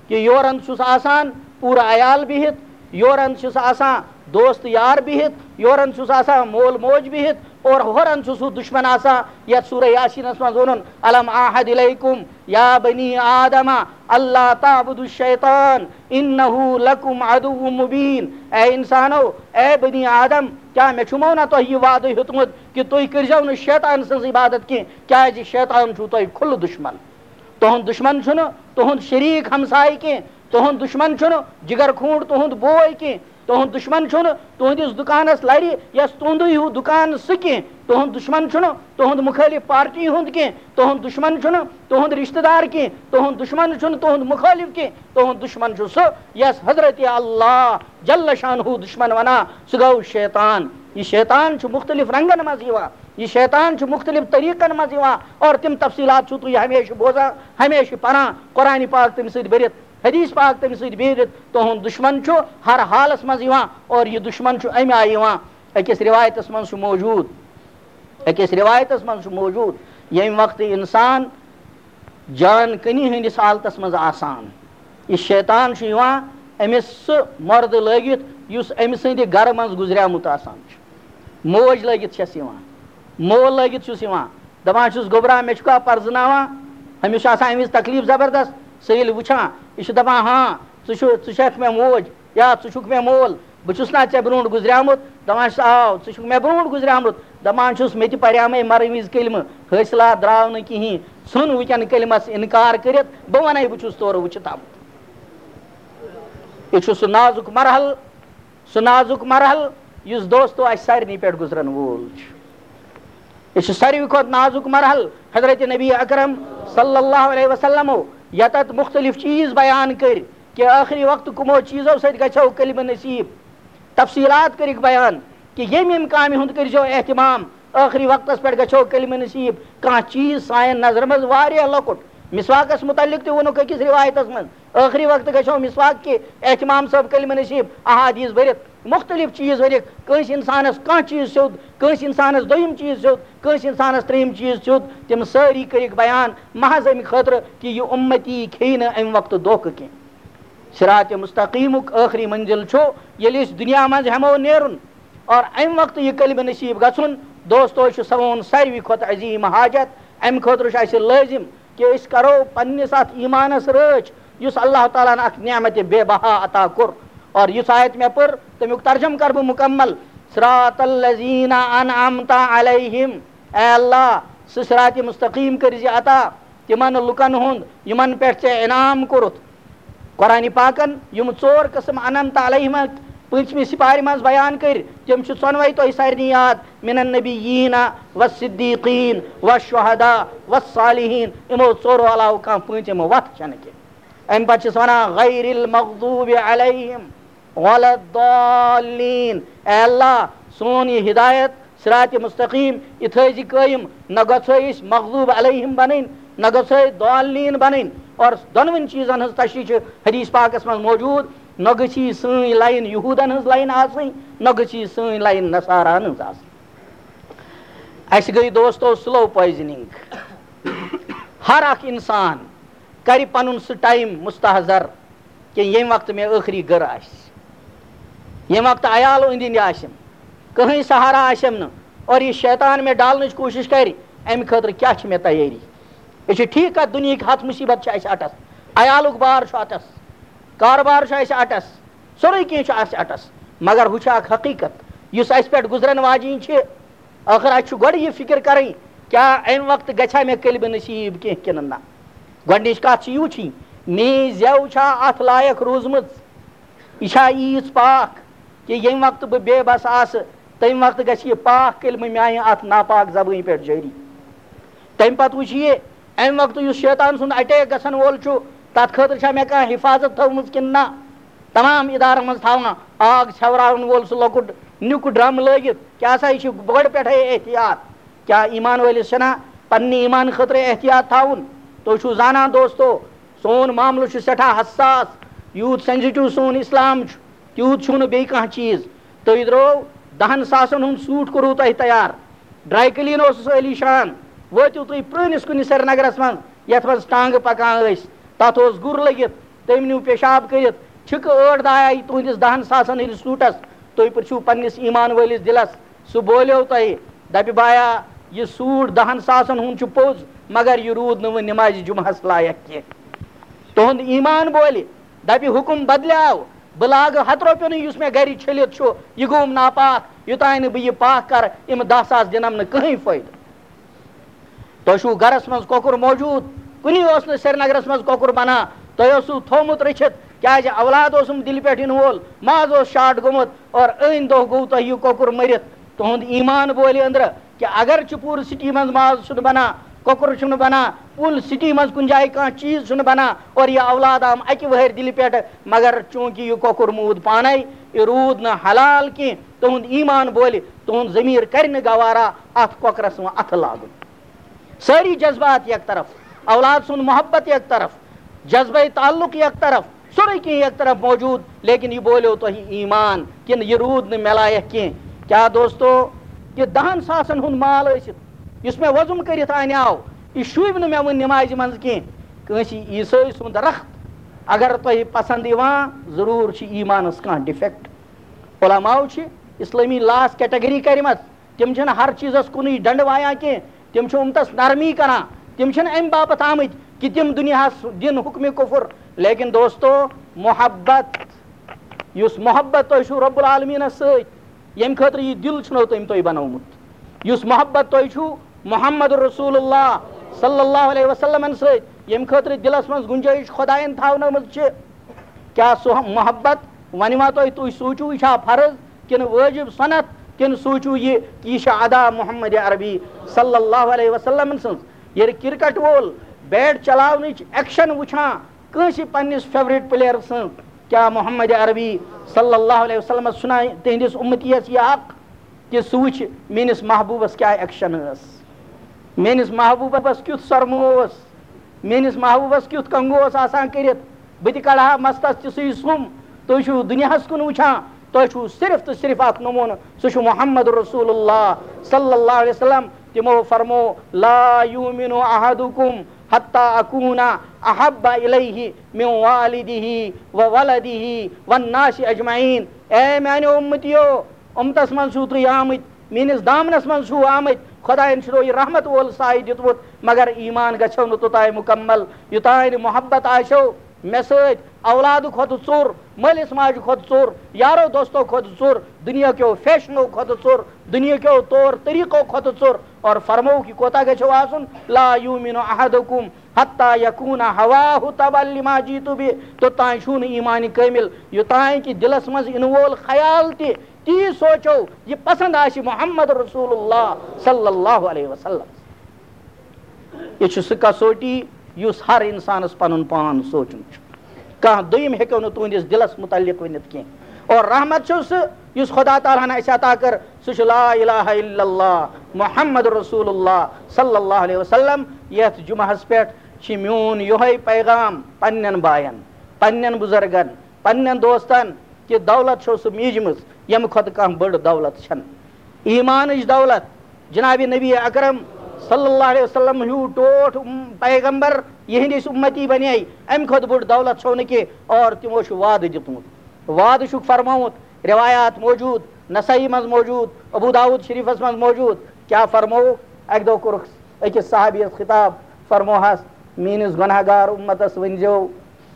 کہِ یورَن چھُس آسان پوٗرٕ عیال بِہِتھ، یورَن چھُس آسان دوست یار بِہِتھ، یورَن چھُس آسان مول موج بِہِتھ، اور ہورَن چھُس ہُہ دُشمن آسان، یَتھ سورہ یاسینَس منٛز ووٚنُن، الم اعہد الیکم یا بنی آدم اللہ تعبدوا الشیطان انہ لکم عدو مبین۔ اے انسانو، اے بنی آدم، کیٛاہ مےٚ چھُمو نہ تۄہہِ یہِ وعدٕ ہیوٚتمُت کہِ تُہۍ کٔرۍزیو نہٕ شیطان سٕنٛز عبادت کینٛہہ، کیٛازِ شیطان چھُو تۄہہِ کھُلہٕ دُشمن؟ تُہُنٛد دُشمن چھُنہٕ تُہُنٛد شریٖک ہمسایہِ کینٛہہ، تُہُنٛد دُشمن چھُنہٕ جگر کھوٗنٛڈ تُہُنٛد بوے کینٛہہ، تُہُنٛد دُشمن چھُنہٕ تُہٕنٛدِس دُکانس لرِ یَس تُہُنٛدُے ہیوٗ دُکان سُہ کینٛہہ، تُہُنٛد دُشمن چھُنہٕ تُہُنٛد مُخٲلِف پارٹی ہُنٛد کینٛہہ، تُہُنٛد دُشمن چھُنہٕ تُہُنٛد رشتہٕ دار کینٛہہ، تُہُنٛد دُشمن چھُنہٕ تُہُنٛد مُخٲلِف کینٛہہ، تُہُنٛد دُشمن چھُ سُہ یَس حضرت اللہ جل شانہ دُشمن ونان، سُہ گوٚو شیطان۔ یہِ شیطان چھُ مُختلف رنگن منٛز یِوان۔ یہِ شیطان چھُ مُختلف طریٖقن منٛز یِوان، اور تِم تفصیٖلات چھِو تُہۍ ہمیشہِ بوزان، ہمیشہِ پران، قرآنِ پاک تٔمۍ سۭتۍ بٔرِتھ، حدیث پاک تٔمۍ سۭتۍ بٔرِتھ۔ تُہُنٛد دُشمن چھُ ہر حالس منٛز یِوان، اور یہِ دُشمن چھُ اَمہِ آیہِ یِوان۔ أکِس رِوایتس منٛز چھُ موجود، أکِس رِوایتس منٛز چھُ موجود، ییٚمہِ وقتہٕ اِنسان جان کنی ہٕنٛدِس حالتس منٛز آسان۔ یہِ شیطان چھُ یِوان أمِس سُہ مردٕ لٲگِتھ یُس أمۍ سٕنٛدِ گرٕ منٛز گُزریومُت آسان چھُ۔ موج لٲگِتھ چھَس یِوان، مول لٲگِتھ چھُس یِوان، دَپان چھُس، "گوٚبرا، مےٚ چھُکھا پرزٕناوان؟" أمِس چھُ آسان أمِس تکلیٖف زبردست۔ سُہ ییٚلہِ وٕچھان، یہِ چھُ دَپان، "ہاں، ژٕ چھُ، ژٕ چھَکھ مےٚ موج یا ژٕ چھُکھ مےٚ مول، بہٕ چھُس نا ژےٚ برونٛٹھ گُزریومُت؟" دَپان چھُس، "آو، ژٕ چھُکھ مےٚ برونٛٹھ گُزریومُت۔" دَپان چھُس، "مےٚ تہِ پریامَے مَرٕ وِزِ کلمہٕ، حٲصِلات درٛاو نہٕ کِہیٖنۍ، ژھُن وٕنکٮ۪ن کلمَس اِنکار کٔرِتھ، بہٕ وَنَے بہٕ چھُس تورٕ وٕچھِتھ آمُت۔" یہِ چھُ سُہ نازُک مرحلہٕ، سُہ نازُک مرحلہٕ یُس دوستو اَسہِ سارنٕے پٮ۪ٹھ گُزرَن وول چھُ۔ یہِ چھُ ساروی کھۄتہٕ نازُک مرحلہٕ۔ حضرت نبی اکرم صلی اللہ علیہ وسلمو یَتَتھ مُختٔلِف چیٖز بیان کٔرۍ کہِ ٲخری وقتہٕ کٕمو چیٖزو سۭتۍ گژھیو کلمہٕ نصیب۔ تفصیٖلات کٔرِکھ بیان کہِ ییٚمہِ ییٚمہِ کامہِ ہُنٛد کٔرۍزیو اہتمام، ٲخری وقتَس پٮ۪ٹھ گژھیو کلمہٕ نصیب۔ کانٛہہ چیٖز سانٮ۪ن نظرَن منٛز واریاہ لۄکُٹ۔ مسواکَس مُتعلِق تہِ ووٚنُکھ أکِس رِوایتَس منٛز، ٲخری وقتہٕ گژھیو مسواک کہِ اہتمام صٲب کلمہٕ نصیب، احادیث بٔرِتھ، مُختٔلِف چیٖز ؤرِتھ۔ کٲنٛسہِ اِنسانَس کانٛہہ چیٖز سیوٚد، کٲنٛسہِ اِنسانَس دوٚیِم چیٖز سیوٚد، کٲنٛسہِ اِنسانَس ترٛیٚیِم چیٖز سیوٚد، تِم سٲری کٔرِکھ بیان محض اَمہِ خٲطرٕ کہِ یہِ اُمتی کھیٚیہِ نہٕ اَمہِ وقتہٕ دھوکہٕ کینٛہہ۔ صراط مستقیٖمُک ٲخری منزل چھُ ییٚلہِ أسۍ دُنیا منٛز ہٮ۪مو نیرُن اور اَمہِ وقتہٕ یہِ کلمہٕ نصیٖب گژھُن۔ دوستو، یہِ چھُ سون ساروی کھۄتہٕ عظیٖم حاجت۔ اَمہِ خٲطرٕ چھُ اَسہِ لٲزِم کہِ أسۍ کرو پننِس اَتھ ایٖمانَس رٲچھ، یُس اللہ تعالیٰ ہَن اکھ نعمت بے بہا عطا کوٚر۔ اور یُس آیت مےٚ پٔر، تَمیُک ترجمہٕ کرٕ بہٕ مُکمل، صراط الذین انعمت علیہم۔ اے اللہ، سُہ صراط مستقیٖم کٔرۍ زِ عطا تِمن لُکن ہُنٛد یِمن پٮ۪ٹھ ژےٚ انعام کوٚرُتھ۔ قرآن پاکن یِم ژور قٕسم انعمت علیہم پٲنٛژمہِ سپارِ منٛز بیان کٔرۍ، تِم چھِ ژۄنوَے تۄہہِ سارنٕے یاد، من النبیین والصدیقین والشہداء والصالحین۔ یِمو ژورو علاوٕ کانٛہہ پٲنٛژِم وَتھ چھَنہٕ کینٛہہ۔ اَمہِ پتہٕ چھِس وَنان، غیر المغضوب علیہم ولا الضالین۔ اے اللہ، سون یہِ ہدایت، صراط مستقیٖم، یہِ تھٲوزِ قٲیِم، نہ گژھو أسۍ مغضوب علیہم بنٕنۍ، نہ گژھو أسۍ ضالین بنٕنۍ۔ اور دۄنوٕنۍ چیٖزن ہٕنٛز تشریح چھِ حدیث پاکس منٛز موجود، نہ گٔژھ یہِ سٲنۍ لاین یہوٗدن ہٕنٛز لاین آسٕنۍ، نہ گٔژھ یہِ سٲنۍ لاین نصاراہن ہٕنٛز آسٕنۍ۔ اَسہِ گٔے دوستو slow poisoning۔ ہر اکھ انسان کرِ پنُن سُہ time مستحضر کہِ ییٚمہِ وقتہٕ مےٚ ٲخری گٔر آسہِ، ییٚمہِ وقتہٕ عیالو أنٛدۍ أنٛدۍ آسن، کٕہٕنۍ سہارا آسٮ۪م نہٕ، اور یہِ شیطان مےٚ ڈالنٕچ کوٗشِش کرِ، اَمہِ خٲطرٕ کیٛاہ چھِ مےٚ تیٲری؟ یہِ چھِ ٹھیٖک کَتھ، دُنیہٕکۍ ہَتھ مُصیٖبت چھِ اَسہِ اَٹَس، عیالُک بار چھُ اَٹَس، کارٕبار چھُ اَسہِ اَٹَس، سورُے کینٛہہ چھُ اَسہِ اَٹَس، مگر ہُہ چھُ اَکھ حقیٖقت یُس اَسہِ پٮ۪ٹھ گُزرَن واجِنۍ چھِ۔ ٲخٕر اَسہِ چھُ گۄڈٕ یہِ فِکِر کَرٕنۍ، کیٛاہ اَمہِ وقتہٕ گژھیٛا مےٚ کلمہٕ نصیٖب کینٛہہ کِنہٕ نہ؟ گۄڈٕنِچ کَتھ چھِ یہِ وٕچھِنۍ، میٛٲنۍ زٮ۪و چھا اَتھ لایق روٗزمٕژ؟ یہِ چھا ییٖژ پاک کہِ ییٚمہِ وقتہٕ بہٕ بے بس آسہٕ، تَمہِ وقتہٕ گژھِ یہِ پاک کلمہٕ میٛانہِ اَتھ ناپاک زبٲنۍ پٮ۪ٹھ جٲری؟ تَمہِ پتہٕ وٕچھِ یہِ، اَمہِ وقتہٕ یُس شیطان سُنٛد attack گژھن وول چھُ، تَتھ خٲطرٕ چھا مےٚ کانٛہہ حفاظت تھٲومٕژ کِنہٕ نہ؟ تمام ادارن منٛز تھاوان آگ ژھٮ۪وراون وول سُہ لۄکُٹ نیُک drum لٲگِتھ، کیٛاہ سا یہِ چھُ گۄڈٕ پٮ۪ٹھَے احتیاط؟ کیٛاہ ایمان وٲلِس چھَنا پننہِ ایمان خٲطرٕ احتیاط تھاوُن؟ تُہۍ چھِو زانان دوستو، سون معاملہٕ چھُ سٮ۪ٹھاہ حساس، یوٗت sensitive سون اسلام چھُ، تیوٗت چھُنہٕ بیٚیہِ کانٛہہ چیٖز۔ تُہۍ درٛاو دَہَن ساسَن ہُنٛد suit کوٚروٕ تۄہہِ تیار، dry clean اوسُس عٲلی شان، وٲتِو تُہۍ پرٛٲنِس کُنہِ سرینگرَس منٛز، یَتھ منٛز ٹانٛگہٕ پَکان ٲسۍ، تَتھ اوس گُر لٔگِتھ، تٔمۍ نیوٗ پیشاب کٔرِتھ، چھِکہٕ ٲٹھ دَہ آیہِ تُہٕنٛدِس دَہَن ساسَن ہٕنٛدِس suit-س، تُہۍ پرٛژھِو پنٛنِس ایمان وٲلِس دِلَس، سُہ بولیو تۄہہِ، دَپہِ، "بایا، یہِ suit دَہَن ساسَن ہُنٛد چھُ پوٚز، مگر یہِ روٗد نہٕ وٕنہِ نٮ۪مازِ جُمعہَس لایق کینٛہہ۔" تُہُنٛد ایمان بولہِ، دَپہِ، "حُکُم بدلیو، بہٕ لاگہٕ ہَتہٕ رۄپیُنٕے یُس مےٚ گَرِ چھٔلِتھ چھُ، یہِ گوٚوُم ناپاک، یوٚتانۍ نہٕ بہٕ یہِ پاک کَرٕ، یِم دَہ ساس دِنَم نہٕ کٕہٕنۍ فٲیدٕ۔" تۄہہِ چھُو گرس منٛز کۄکُر موجود؟ کُنی اوس نہٕ سرینگرس منٛز کۄکُر بنان، تۄہہِ اوسوٕ تھوٚومُت رٔچھِتھ، کیازِ اولاد اوسُم دِلہِ پٮ۪ٹھ یِنہٕ وول، ماز اوس short گوٚمُت، اور أنۍ دۄہ گوٚو تۄہہِ یہِ کۄکُر مٔرِتھ۔ تُہُنٛد ایمان بولہِ أنٛدرٕ کہِ اگرچہِ پوٗرٕ city منٛز ماز چھُنہٕ بنان، کۄکُر چھُنہٕ بنان، full city منٛز کُنہِ جایہِ کانٛہہ چیٖز چھُنہٕ بنان، اور یہِ اولاد آم اکہِ وہٕرۍ دِلہِ پٮ۪ٹھ، مگر چوٗنٛکہِ یہِ کۄکُر موٗد پانے، یہِ روٗد نہٕ حلال کینٛہہ، تُہُنٛد ایمان بولہِ، تُہُنٛد ضمیٖر کرِ نہٕ گوارا اتھ کۄکرس وۄنۍ اتھٕ لاگُن۔ سٲری جذبات یک طرف، اولاد سُنٛد محبت یک طرف، جذبہ تعلق یک طرف، سورُے کینٛہہ یک طرف موجود، لیکن یہِ بولیو تۄہہِ ایمان کِنہٕ یہِ روٗد نہٕ مےٚ لایق کینٛہہ؟ کیٛاہ دوستو، یہِ دَہَن ساسَن ہُنٛد مال ٲسِتھ، یُس مےٚ وۄزُم کٔرِتھ انیاو، یہِ شوٗبہِ نہٕ مےٚ وۄنۍ نمازِ منٛز کینٛہہ۔ کٲنٛسہِ عیسٲے سُنٛد رخت اگر تۄہہِ پسنٛد یِوان، ضروٗر چھِ ایٖمانَس کانٛہہ ڈِفیکٹ۔ علماو چھِ اِسلٲمی لاس کیٹگری کَرِمَژ۔ تِم چھِنہٕ ہر چیٖزَس کُنُے ڈنٛڈٕ وایان کینٛہہ، تِم چھِ اُمتَس نرمی کَران۔ تِم چھِنہٕ اَمہِ باپَتھ آمٕتۍ کہِ تِم دُنیاہَس دِن حُکمِ کُفُر۔ لیکن دوستو، محبت، یُس محبت تۄہہِ چھُو رب العالمیٖنَس سۭتۍ، ییٚمہِ خٲطرٕ یہِ دِل چھُنو تٔمۍ تۄہہِ بنومُت، یُس محبت تۄہہِ چھُو محمد رسول اللہ صلی اللہ علیہ وسلمن سۭتۍ، ییٚمہِ خٲطرٕ دِلس منٛز گُنجٲیِش خۄدایَن تھاونٲومٕژ چھِ، کیٛاہ سُہ محبت وۄنۍ ما تۄہہِ، تُہۍ سوٗنٛچِو یہِ چھا فرض کِنہٕ وٲجِب سُنت، کِنہٕ سوٗنٛچِو یہِ کہِ یہِ چھِ ادا محمد عربی صلی اللہ علیہ وسلم سٕنٛز؟ ییٚلہِ کرکٹ وول بیٹ چلاونٕچ ایکشن وٕچھان کٲنٛسہِ پننِس فیورٹ پلیئر سٕنٛز، کیٛاہ محمد عربی صلی اللہ علیہ وسلمس چھُنہ تِہنٛدِس اُمتی یس یہِ حق کہِ سُہ وٕچھِ میٲنِس محبوٗبس کیٛاہ ایکشن ٲس، میٲنِس محبوٗبس کیُتھ سۄرمہٕ اوس، میٲنِس محبوٗبس کیُتھ کنگو اوس آسان کٔرِتھ، بہٕ تہِ کڑٕ ہا مستس تِژھٕے سُم۔ تُہۍ چھِو دُنیاہس کُن وٕچھان، تۄہہِ چھُو صرف تہٕ صرف اکھ نموٗنہٕ، سُہ چھُ محمد رسول اللہ صلی اللہ علیہ وسلم۔ تِمو فرمو، لا یؤمن احدکم حتی اکون احب الیہ من والدہ و ولدہ والناس اجمعین۔ اے میانیو امتیو، امتس منٛز چھِو تُہۍ آمٕتۍ، میٲنِس دامنس منٛز چھِو آمٕتۍ، خۄدایَن چھُنو یہِ رحمت وول سایہِ دیُتمُت، مگر ایمان گژھیو نہٕ توٚتام مُکمل، یوٚتام نہٕ محبت آسیو مےٚ سۭتۍ اولادٕ کھۄتہٕ ژوٚر، مٲلِس ماجہِ کھۄتہٕ ژوٚر، یارو دوستو کھۄتہٕ ژوٚر، دُنیا کیو فیشنو کھۄتہٕ ژوٚر، دُنیا کیو طور طریٖقو کھۄتہٕ ژوٚر۔ اور فرمووُکھ، یہِ کوتاہ گژھیو آسُن؟ لا یؤمن احدکم حتی یکون ہواہ تبع لما جیت بہ۔ توٚتام چھُو نہٕ ایمان کٲمل، یوٚتام کہِ دِلس منٛز یِنہٕ وول خیال تہِ، تی سوچو، یہِ پسند آسہِ محمد رسول اللہ صلی اللہ علیہ وسلم۔ یہِ چھُ سُہ کسوٹی یُس ہر انسانس پنُن پان سونچُن چھُ۔ کانٛہہ دوٚیِم ہیٚکیو نہٕ تُہنٛدِس دِلس متعلق ؤنِتھ کینٛہہ۔ اور رحمت چھُ سُہ یُس خدا تعالیٰ ہن اسہِ عطا کٔر، سُہ چھُ لا الہ الا اللہ محمد رسول اللہ صلی اللہ علیہ وسلم۔ یتھ جمعہس پٮ۪ٹھ چھِ میون یِہوٚے پیغام پننٮ۪ن باین، پننٮ۪ن بزرگن، پننٮ۪ن دوستن کہِ دولت چھو سُہ میٖجمٕژ، ییٚمہِ کھۄتہٕ کانٛہہ بٔڑ دولت چھنہٕ۔ ایمانٕچ دولت، جناب نبی اکرم صلی اللہ علیہ وسلم ہیوٗ ٹوٹھ، ام، پیغمبر، یِہنٛدۍ أسۍ اُمتی بنے، امہِ کھۄتہٕ بٔڑ دولت چھو نہٕ کینٛہہ۔ اور تِمو چھُ وعدٕ دیُتمُت، وعدٕ چھُکھ فرمومُت، روایات موجود، نسائی منٛز موجود، ابو داؤد شریفس منٛز موجود۔ کیٛاہ فرمووُکھ؟ اکہِ دۄہ کوٚرُکھ أکِس صحابیس خطاب، فرموہس، میٲنِس گۄناہ گار اُمتس ؤنۍزیو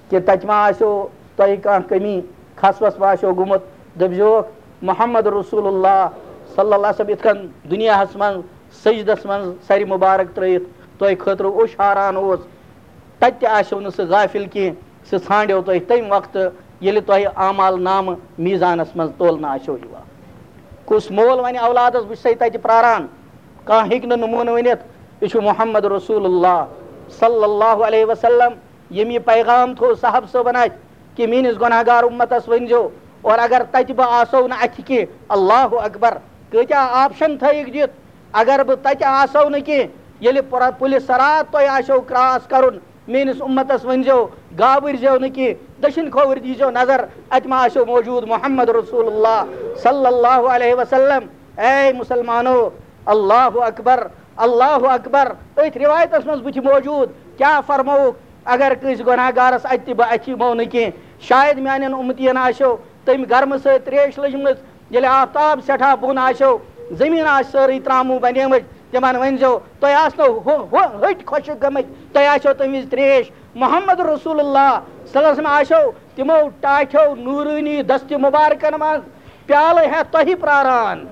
کہِ تتہِ ما آسیو تۄہہِ کانٛہہ کمی، کھسوس ما آسیو گوٚمُت؟ دٔپزیوکھ، محمد رسول اللہ صلی اللہ علیہ وسلم یِتھ کٔنۍ دُنیاہس منٛز سجدس منٛز سرِ مبارک ترٲیِتھ تۄہہِ خٲطرٕ اوٚش ہاران اوس، تتہِ تہِ آسیو نہٕ سُہ غافل کینٛہہ، سُہ ژھانڈیو تۄہہِ تمہِ وقتہٕ ییٚلہِ تۄہہِ اعمال نامہٕ میزانس منٛز تولنہٕ آسیو یِوان۔ کُس مول ونہِ اولادس، بہٕ چھُسے تتہِ پراران؟ کانٛہہ ہیٚکہِ نہٕ نموٗنہٕ ؤنِتھ۔ یہِ چھُ محمد رسول اللہ صلی اللہ علیہ وسلم، ییٚمۍ یہِ پیغام تھوٚو صاحب صٲبن اتھِ کہِ میٲنِس گۄناہ گار اُمتس ؤنۍزیو۔ اور اگر تتہِ بہٕ آسو نہٕ اتھِ کینٛہہ، اللہ اکبر، کۭتیاہ آپشن تھٲیِکھ دِتھ۔ اگر بہٕ تتہِ آسو نہٕ کینٛہہ، ییٚلہِ پُر-، پُلہِ صراط تۄہہِ آسیو کراس کرُن، میٲنِس اُمتس ؤنۍزیو، گابٕرۍ زیو نہٕ کینٛہہ، دٔچھِنۍ کھووٕرۍ دیٖزیو نظر، اتہِ ما آسیو موجود محمد رسول اللہ صلی اللہ علیہ وسلم۔ اے مسلمانو، اللہ اکبر، اللہ اکبر۔ أتھۍ روایتس منٛز بٕتھِ موجود، کیٛاہ فرمووُکھ؟ اگر کٲنٛسہِ گۄناہ گارس اتہِ تہِ بہٕ اتھِ یِمو نہٕ کینٛہہ، شاید میانٮ۪ن اُمتین آسیو تٔمۍ گرمہٕ سۭتۍ تریش لٔجمٕژ۔ ییٚلہِ آفتاب سٮ۪ٹھاہ بۄن آسیو، زٔمیٖن آسہِ سٲرٕے ترٛاموٗ بنیمٕژ، تِمن ؤنۍزیو، تۄہہِ آسنو ہُہ، ہُہ، ۂٹۍ خۄشٕک گٔمٕتۍ، تۄہہِ آسیو تَمہِ وِزِ تریش۔ محمد رسول اللہ صلی اللہ علیہ وسلم آسیو تِمو ٹاٹھیو نوٗرٲنی دستہِ مُبارکن منٛز پیالہٕ ہٮ۪تھ تۄہہِ پراران۔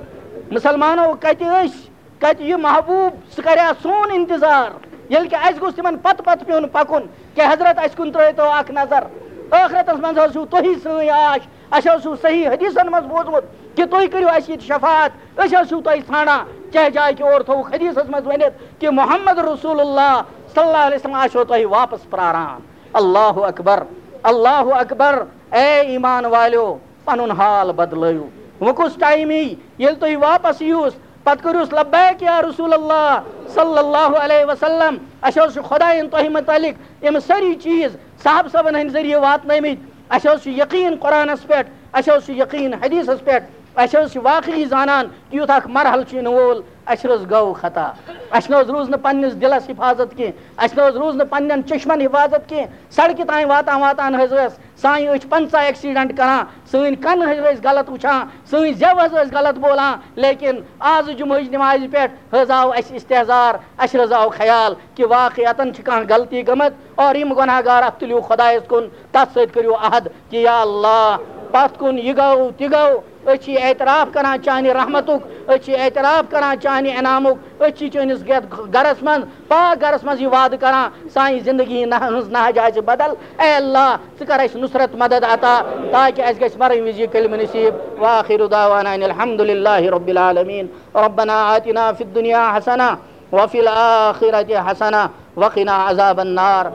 مُسلمانو، کتہِ ٲسۍ؟ کتہِ یہِ محبوب؟ سُہ کرِ ہا سون انتظار، ییٚلہِ کہِ اسہِ گوٚژھ تِمن پتہٕ پتہٕ پیوٚن پکُن۔ کہ حضرت، اسہِ کُن ترٲیتو اکھ نظر، ٲخرتس منٛز حظ چھِو تُہی سٲنۍ آش۔ اسہِ حظ چھُو صحیح حدیثن منٛز بوٗزمُت کہ تُہۍ کٔرِو اسہِ ییٚتہِ شفاعت، أسۍ حظ چھِو تۄہہِ ژھانڈان۔ کیٛاہ جایہِ کہِ اورٕ تھوٚوُکھ حدیثس منٛز ؤنِتھ کہ محمد رسول اللہ صلی اللہ علیہ وسلم آسیو تۄہہِ واپس پراران۔ اللہ اکبر، اللہ اکبر۔ اے ایمان والیو، پنُن حال بدلٲیِو۔ وۄنۍ کُس ٹایم یی ییٚلہِ تُہۍ واپس یِیوس، پتہٕ کٔرِوس لبیک یا رسول اللہ صلی اللہ علیہ وسلم۔ اسہِ حظ چھُ خۄدایَن تۄہہِ متعلق یِم سٲری چیٖز صاحب صٲبن ہٕنٛدۍ ذٔریعہٕ واتنٲومٕتۍ۔ اسہِ حظ چھُ یقیٖن قرآنس پٮ۪ٹھ، اسہِ حظ چھُ یقیٖن حدیثس پٮ۪ٹھ۔ اَسہِ حظ چھِ واقعی زانان کہِ یُتھ اکھ مرحلہٕ چھُ یِنہٕ وول، اَسہِ حظ گوٚو خطا۔ اَسہِ نہ حظ روٗز نہٕ پننِس دِلس حفاظت کینٛہہ، اَسہِ نہ حظ روٗز نہٕ پننٮ۪ن چشمن حفاظت کینٛہہ۔ سڑکہِ تام واتان حظ ٲس سانہِ أچھ پنٛژاہ accident کران، سٲنۍ کن حظ ٲسۍ غلط وٕچھان، سٲنۍ زٮ۪و حظ ٲسۍ غلط بولان، لیکن آز جمعہٕچ نمازِ پٮ۪ٹھ حظ آو اَسہِ استحضار، اَسہِ حظ آو خیال کہِ واقعتاً چھِ کانٛہہ غلطی گٔمٕژ، اور یِم گۄناہ گار اَتھ تُلِو خۄدایَس کُن، تَتھ سۭتۍ کٔرِو عہد کہِ یا اللہ، پَتھ کُن یہِ گوٚو، تہِ گوٚو، أسۍ چھِ اعتراف کران چانہِ رحمتُک، أسۍ چھِ اعتراف کران چانہِ انعامُک، أسۍ چھِ چٲنِس یَتھ گرس منٛز، پاک گرس منٛز یہِ وعدٕ کران، سانہِ زندگی نہ-، ہٕنٛز نہج آسہِ بدل۔ اے اللہ، ژٕ کر اَسہِ نصرت مدد عطا، تاکہِ اَسہِ گژھِ مرن وِزِ یہِ کلمہٕ نصیب۔ وآخر دعوانا ان الحمد للہ رب العالمین۔ ربنا آتنا فی الدنیا حسنہ وفی الآخرۃ حسنہ وقنا عذاب النار۔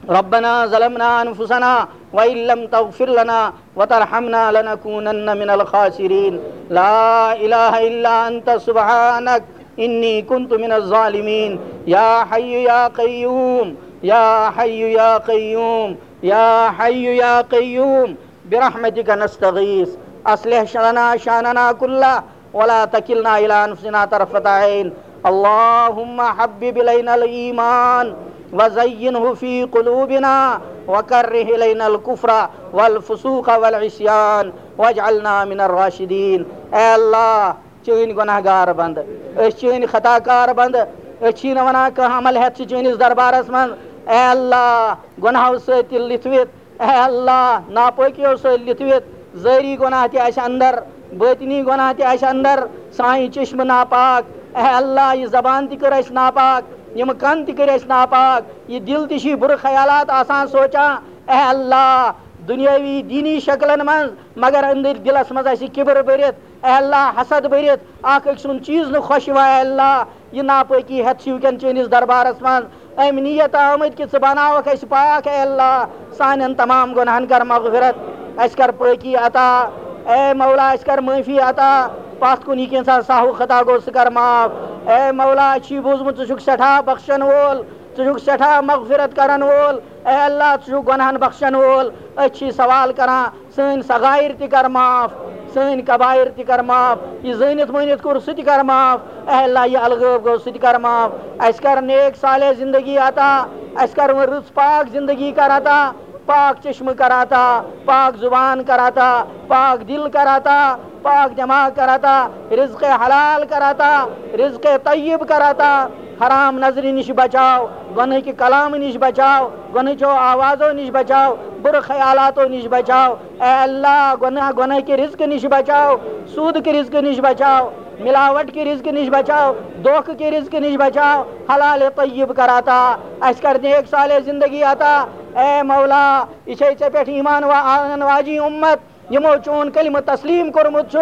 ربنا ظلمنا أنفسنا وإن لم تغفر لنا وترحمنا لنكونن من الخاسرين. لا إله إلا أنت سبحانك إني كنت من الظالمين. يا حي يا قيوم، يا حي يا قيوم، يا حي يا قيوم، برحمتك نستغيث. أصلح لنا شأننا كله ولا تكلنا إلى أنفسنا طرفة عين. اللهم حبب إلينا الإيمان وزينه في قلوبنا وكره إلينا الكفر والفسوق والعصيان واجعلنا من الراشدين. اے اللہ، چٲنۍ گۄناہ گار بندٕ، أسۍ چٲنۍ خطا کار بندٕ، أسۍ چھی نہٕ ونان کانٛہہ عمل ہٮ۪تھ چھِ چٲنِس دربارس منٛز۔ اے اللہ، گۄناہو سۭتۍ تہِ لِتھوِتھ، اے اللہ، ناپٲکیو سۭتۍ لِتھوِتھ، ظٲہری گۄناہ تہِ اَسہِ اندر، باطنی گۄناہ تہِ اَسہِ اندر، سانہِ چشمہٕ ناپاک۔ اے اللہ، یہِ زبان تہِ کٔر اَسہِ ناپاک، یِم کن تہِ کٔرۍ اَسہِ ناپاک، یہِ دِل تہِ چھِ بُرٕ خیالات آسان سونٛچان۔ اے اللہ، دُنیٲوی دیٖنی شکلن منٛز، مگر أنٛدٕرۍ دِلس منٛز اَسہِ کِبر بٔرِتھ، اے اللہ، حسد بٔرِتھ، اکھ أکۍ سُنٛد چیٖز نہٕ خۄش یِوان، اے اللہ، یہِ ناپٲکی ہٮ۪تھ چھِ وٕنکٮ۪ن چٲنِس دربارس منٛز۔ أمۍ نیت آمٕتۍ کہِ ژٕ بناوکھ اَسہِ پاک، اے اللہ، سانٮ۪ن تمام گۄناہن کر مغفرت، اَسہِ کر پٲکی عطا، اے مولا، اَسہِ کر معٲفی عطا، پتھ کُن یہِ کینٛژھا سہو خطا گوٚو، سُہ کر معاف۔ اے مولا، اَسہِ چھُے بوٗزمُت، ژٕ چھُکھ سٮ۪ٹھاہ بخشن وول، ژٕ چھُکھ سٮ۪ٹھاہ مغفرت کرن وول۔ اے اللہ، ژٕ چھُکھ گۄناہن بخشن وول۔ أسۍ چھِ سوال کران، سٲنۍ صغائر تہِ کر معاف، سٲنۍ کبائر تہِ کر معاف، یہِ زٲنِتھ مٲنِتھ کوٚر سُہ تہِ کر معاف۔ اے اللہ، یہِ الغٲب گوٚو سُہ تہِ کر معاف۔ اَسہِ کر نیک صالح زندگی عطا، اَسہِ کر وۄنۍ رٕژ پاک زندگی کر عطا، پاک چشمہٕ کر عطا، پاک زبان کر عطا، پاک دل کر عطا، پاک دماغ کر عطا، رزق حلال کر عطا، رزق طیب کر عطا۔ حرام نظرِ نِش بچاو، گۄنہٕکہِ کلامہٕ نِش بچاو، گۄنہٕچو آوازو نِش بچاو، بُرٕ خیالاتو نِش بچاو۔ اے اللہ، گۄناہ، گۄنہٕکہِ رزقہٕ نِش بچاو، سوٗدٕکہِ رزقہٕ نِش بچاو، ملاوٹ کہِ رزقہٕ نِش بچاو، دھوکہٕ کہِ رزقہٕ نِش بچاو، حلال طیب کر عطا، اَسہِ کر نیک صالح زندگی عطا۔ اے مولا، یہِ چھے ژےٚ پٮ۪ٹھ ایمان وا-، انن واجی اُمت، یِمو چون کلمہٕ تسلیم کوٚرمُت چھُ،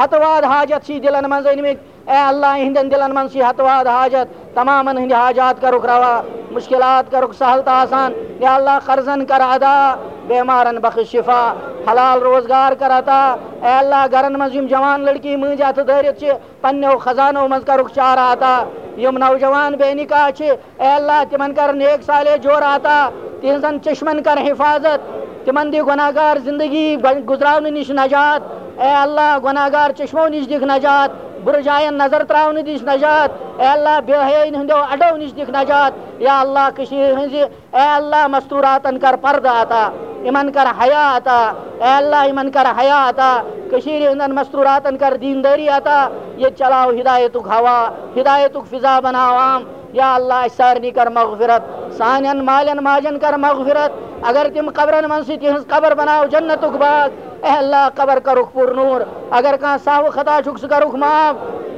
ہتہٕ واد حاجت چھی دِلن منٛز أنمٕتۍ۔ اے اللہ، یِہنٛدٮ۪ن دِلن منٛز چھی ہتہٕ واد حاجت، تمامن ہٕنٛدۍ حاجات کرُکھ روا، مشکلات کرُکھ سہل تہٕ آسان۔ یا اللہ، قرضن کر ادا، بیمارن بخش شفا، حلال روزگار کر عطا۔ اے اللہ، گرن منٛز یِم جوان لڑکی مٔنٛزۍ اتھٕ دٲرِتھ چھِ، پننیو خزانو منٛز کرُکھ چارٕ عطا۔ یِم نوجوان بے نکاح چھِ، اے اللہ، تِمن کر نیک صالح جورٕ عطا، تِہنٛزن چشمن کر حفاظت، تِمن دِ گۄناہ گار زندگی گۄ-، گُزراونہٕ نِش نجات۔ اے اللہ، گۄناہ گار چشمو نِش دِکھ نجات، بُرٕ جاین نظر تراونہٕ نِش نجات۔ اے اللہ، بے حیٲیی ہٕنٛدیو اڈو نِش دِکھ نجات۔ یا اللہ، کٔشیٖرِ ہٕنٛزِ، اے اللہ، مستوراتن کر پردٕ عطا، یِمن کر حیا عطا۔ اے اللہ، یِمن کر حیا عطا، کٔشیٖرِ ہٕنٛدٮ۪ن مستوراتن کر دیندٲری عطا۔ ییٚتہِ چلاو ہدایتُک ہوا، ہدایتُک فضا بناو عام۔ یا اللہ، اَسہِ سارنٕے کر مغفرت، سانٮ۪ن مالٮ۪ن ماجٮ۪ن کر مغفرت۔ اگر تِم قبرن منٛز چھِ، تِہنٛز قبر بناو جنتُک باغ۔ اے اللہ، قبر کرُکھ پُر نوٗر۔ اگر کانٛہہ سہو خطا چھُکھ، سُہ کرُکھ معاف۔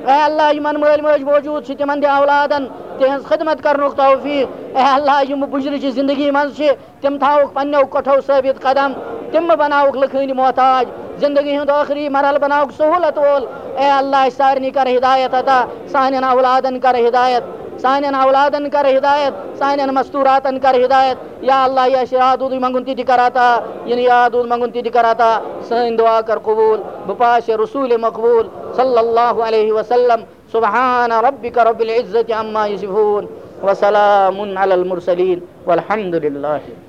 اے اللہ، یِمن مٲلۍ مٲج موجود چھِ، تِمن دِ اولادن تِہنٛز خدمت کرنُک توفیق۔ اے اللہ، یِم بُجرِ چہِ زندگی منٛز چھِ، تِم تھاوُکھ پننیو کٹھو ثٲبت قدم، تِم مہٕ بناوُکھ لُکھ ہٕنٛدۍ محتاج۔ زندگی ہُنٛد ٲخری مرحلہٕ بناوُکھ سہولت وول۔ اے اللہ، اَسہِ سارنٕے کر ہدایت عطا، سانٮ۪ن اولادن کر ہدایت، سانٮ۪ن اولادن کر ہدایت، سانٮ۪ن مستوراتن کر ہدایت۔ یا اللہ، یہِ اَسہِ یاد روٗدُے منٛگُن تہِ تہِ کر عطا، یہِ نہٕ یاد روٗد منٛگُن تہِ تہِ کر عطا۔ سٲنۍ دعا کر قبوٗل، بہٕ پاسہِ رسوٗلِ مقبوٗل صلی اللہ علیہ وسلم۔ سبحان ربک رب العزة عما یصفون، وسلام علی المرسلین، والحمد للہ۔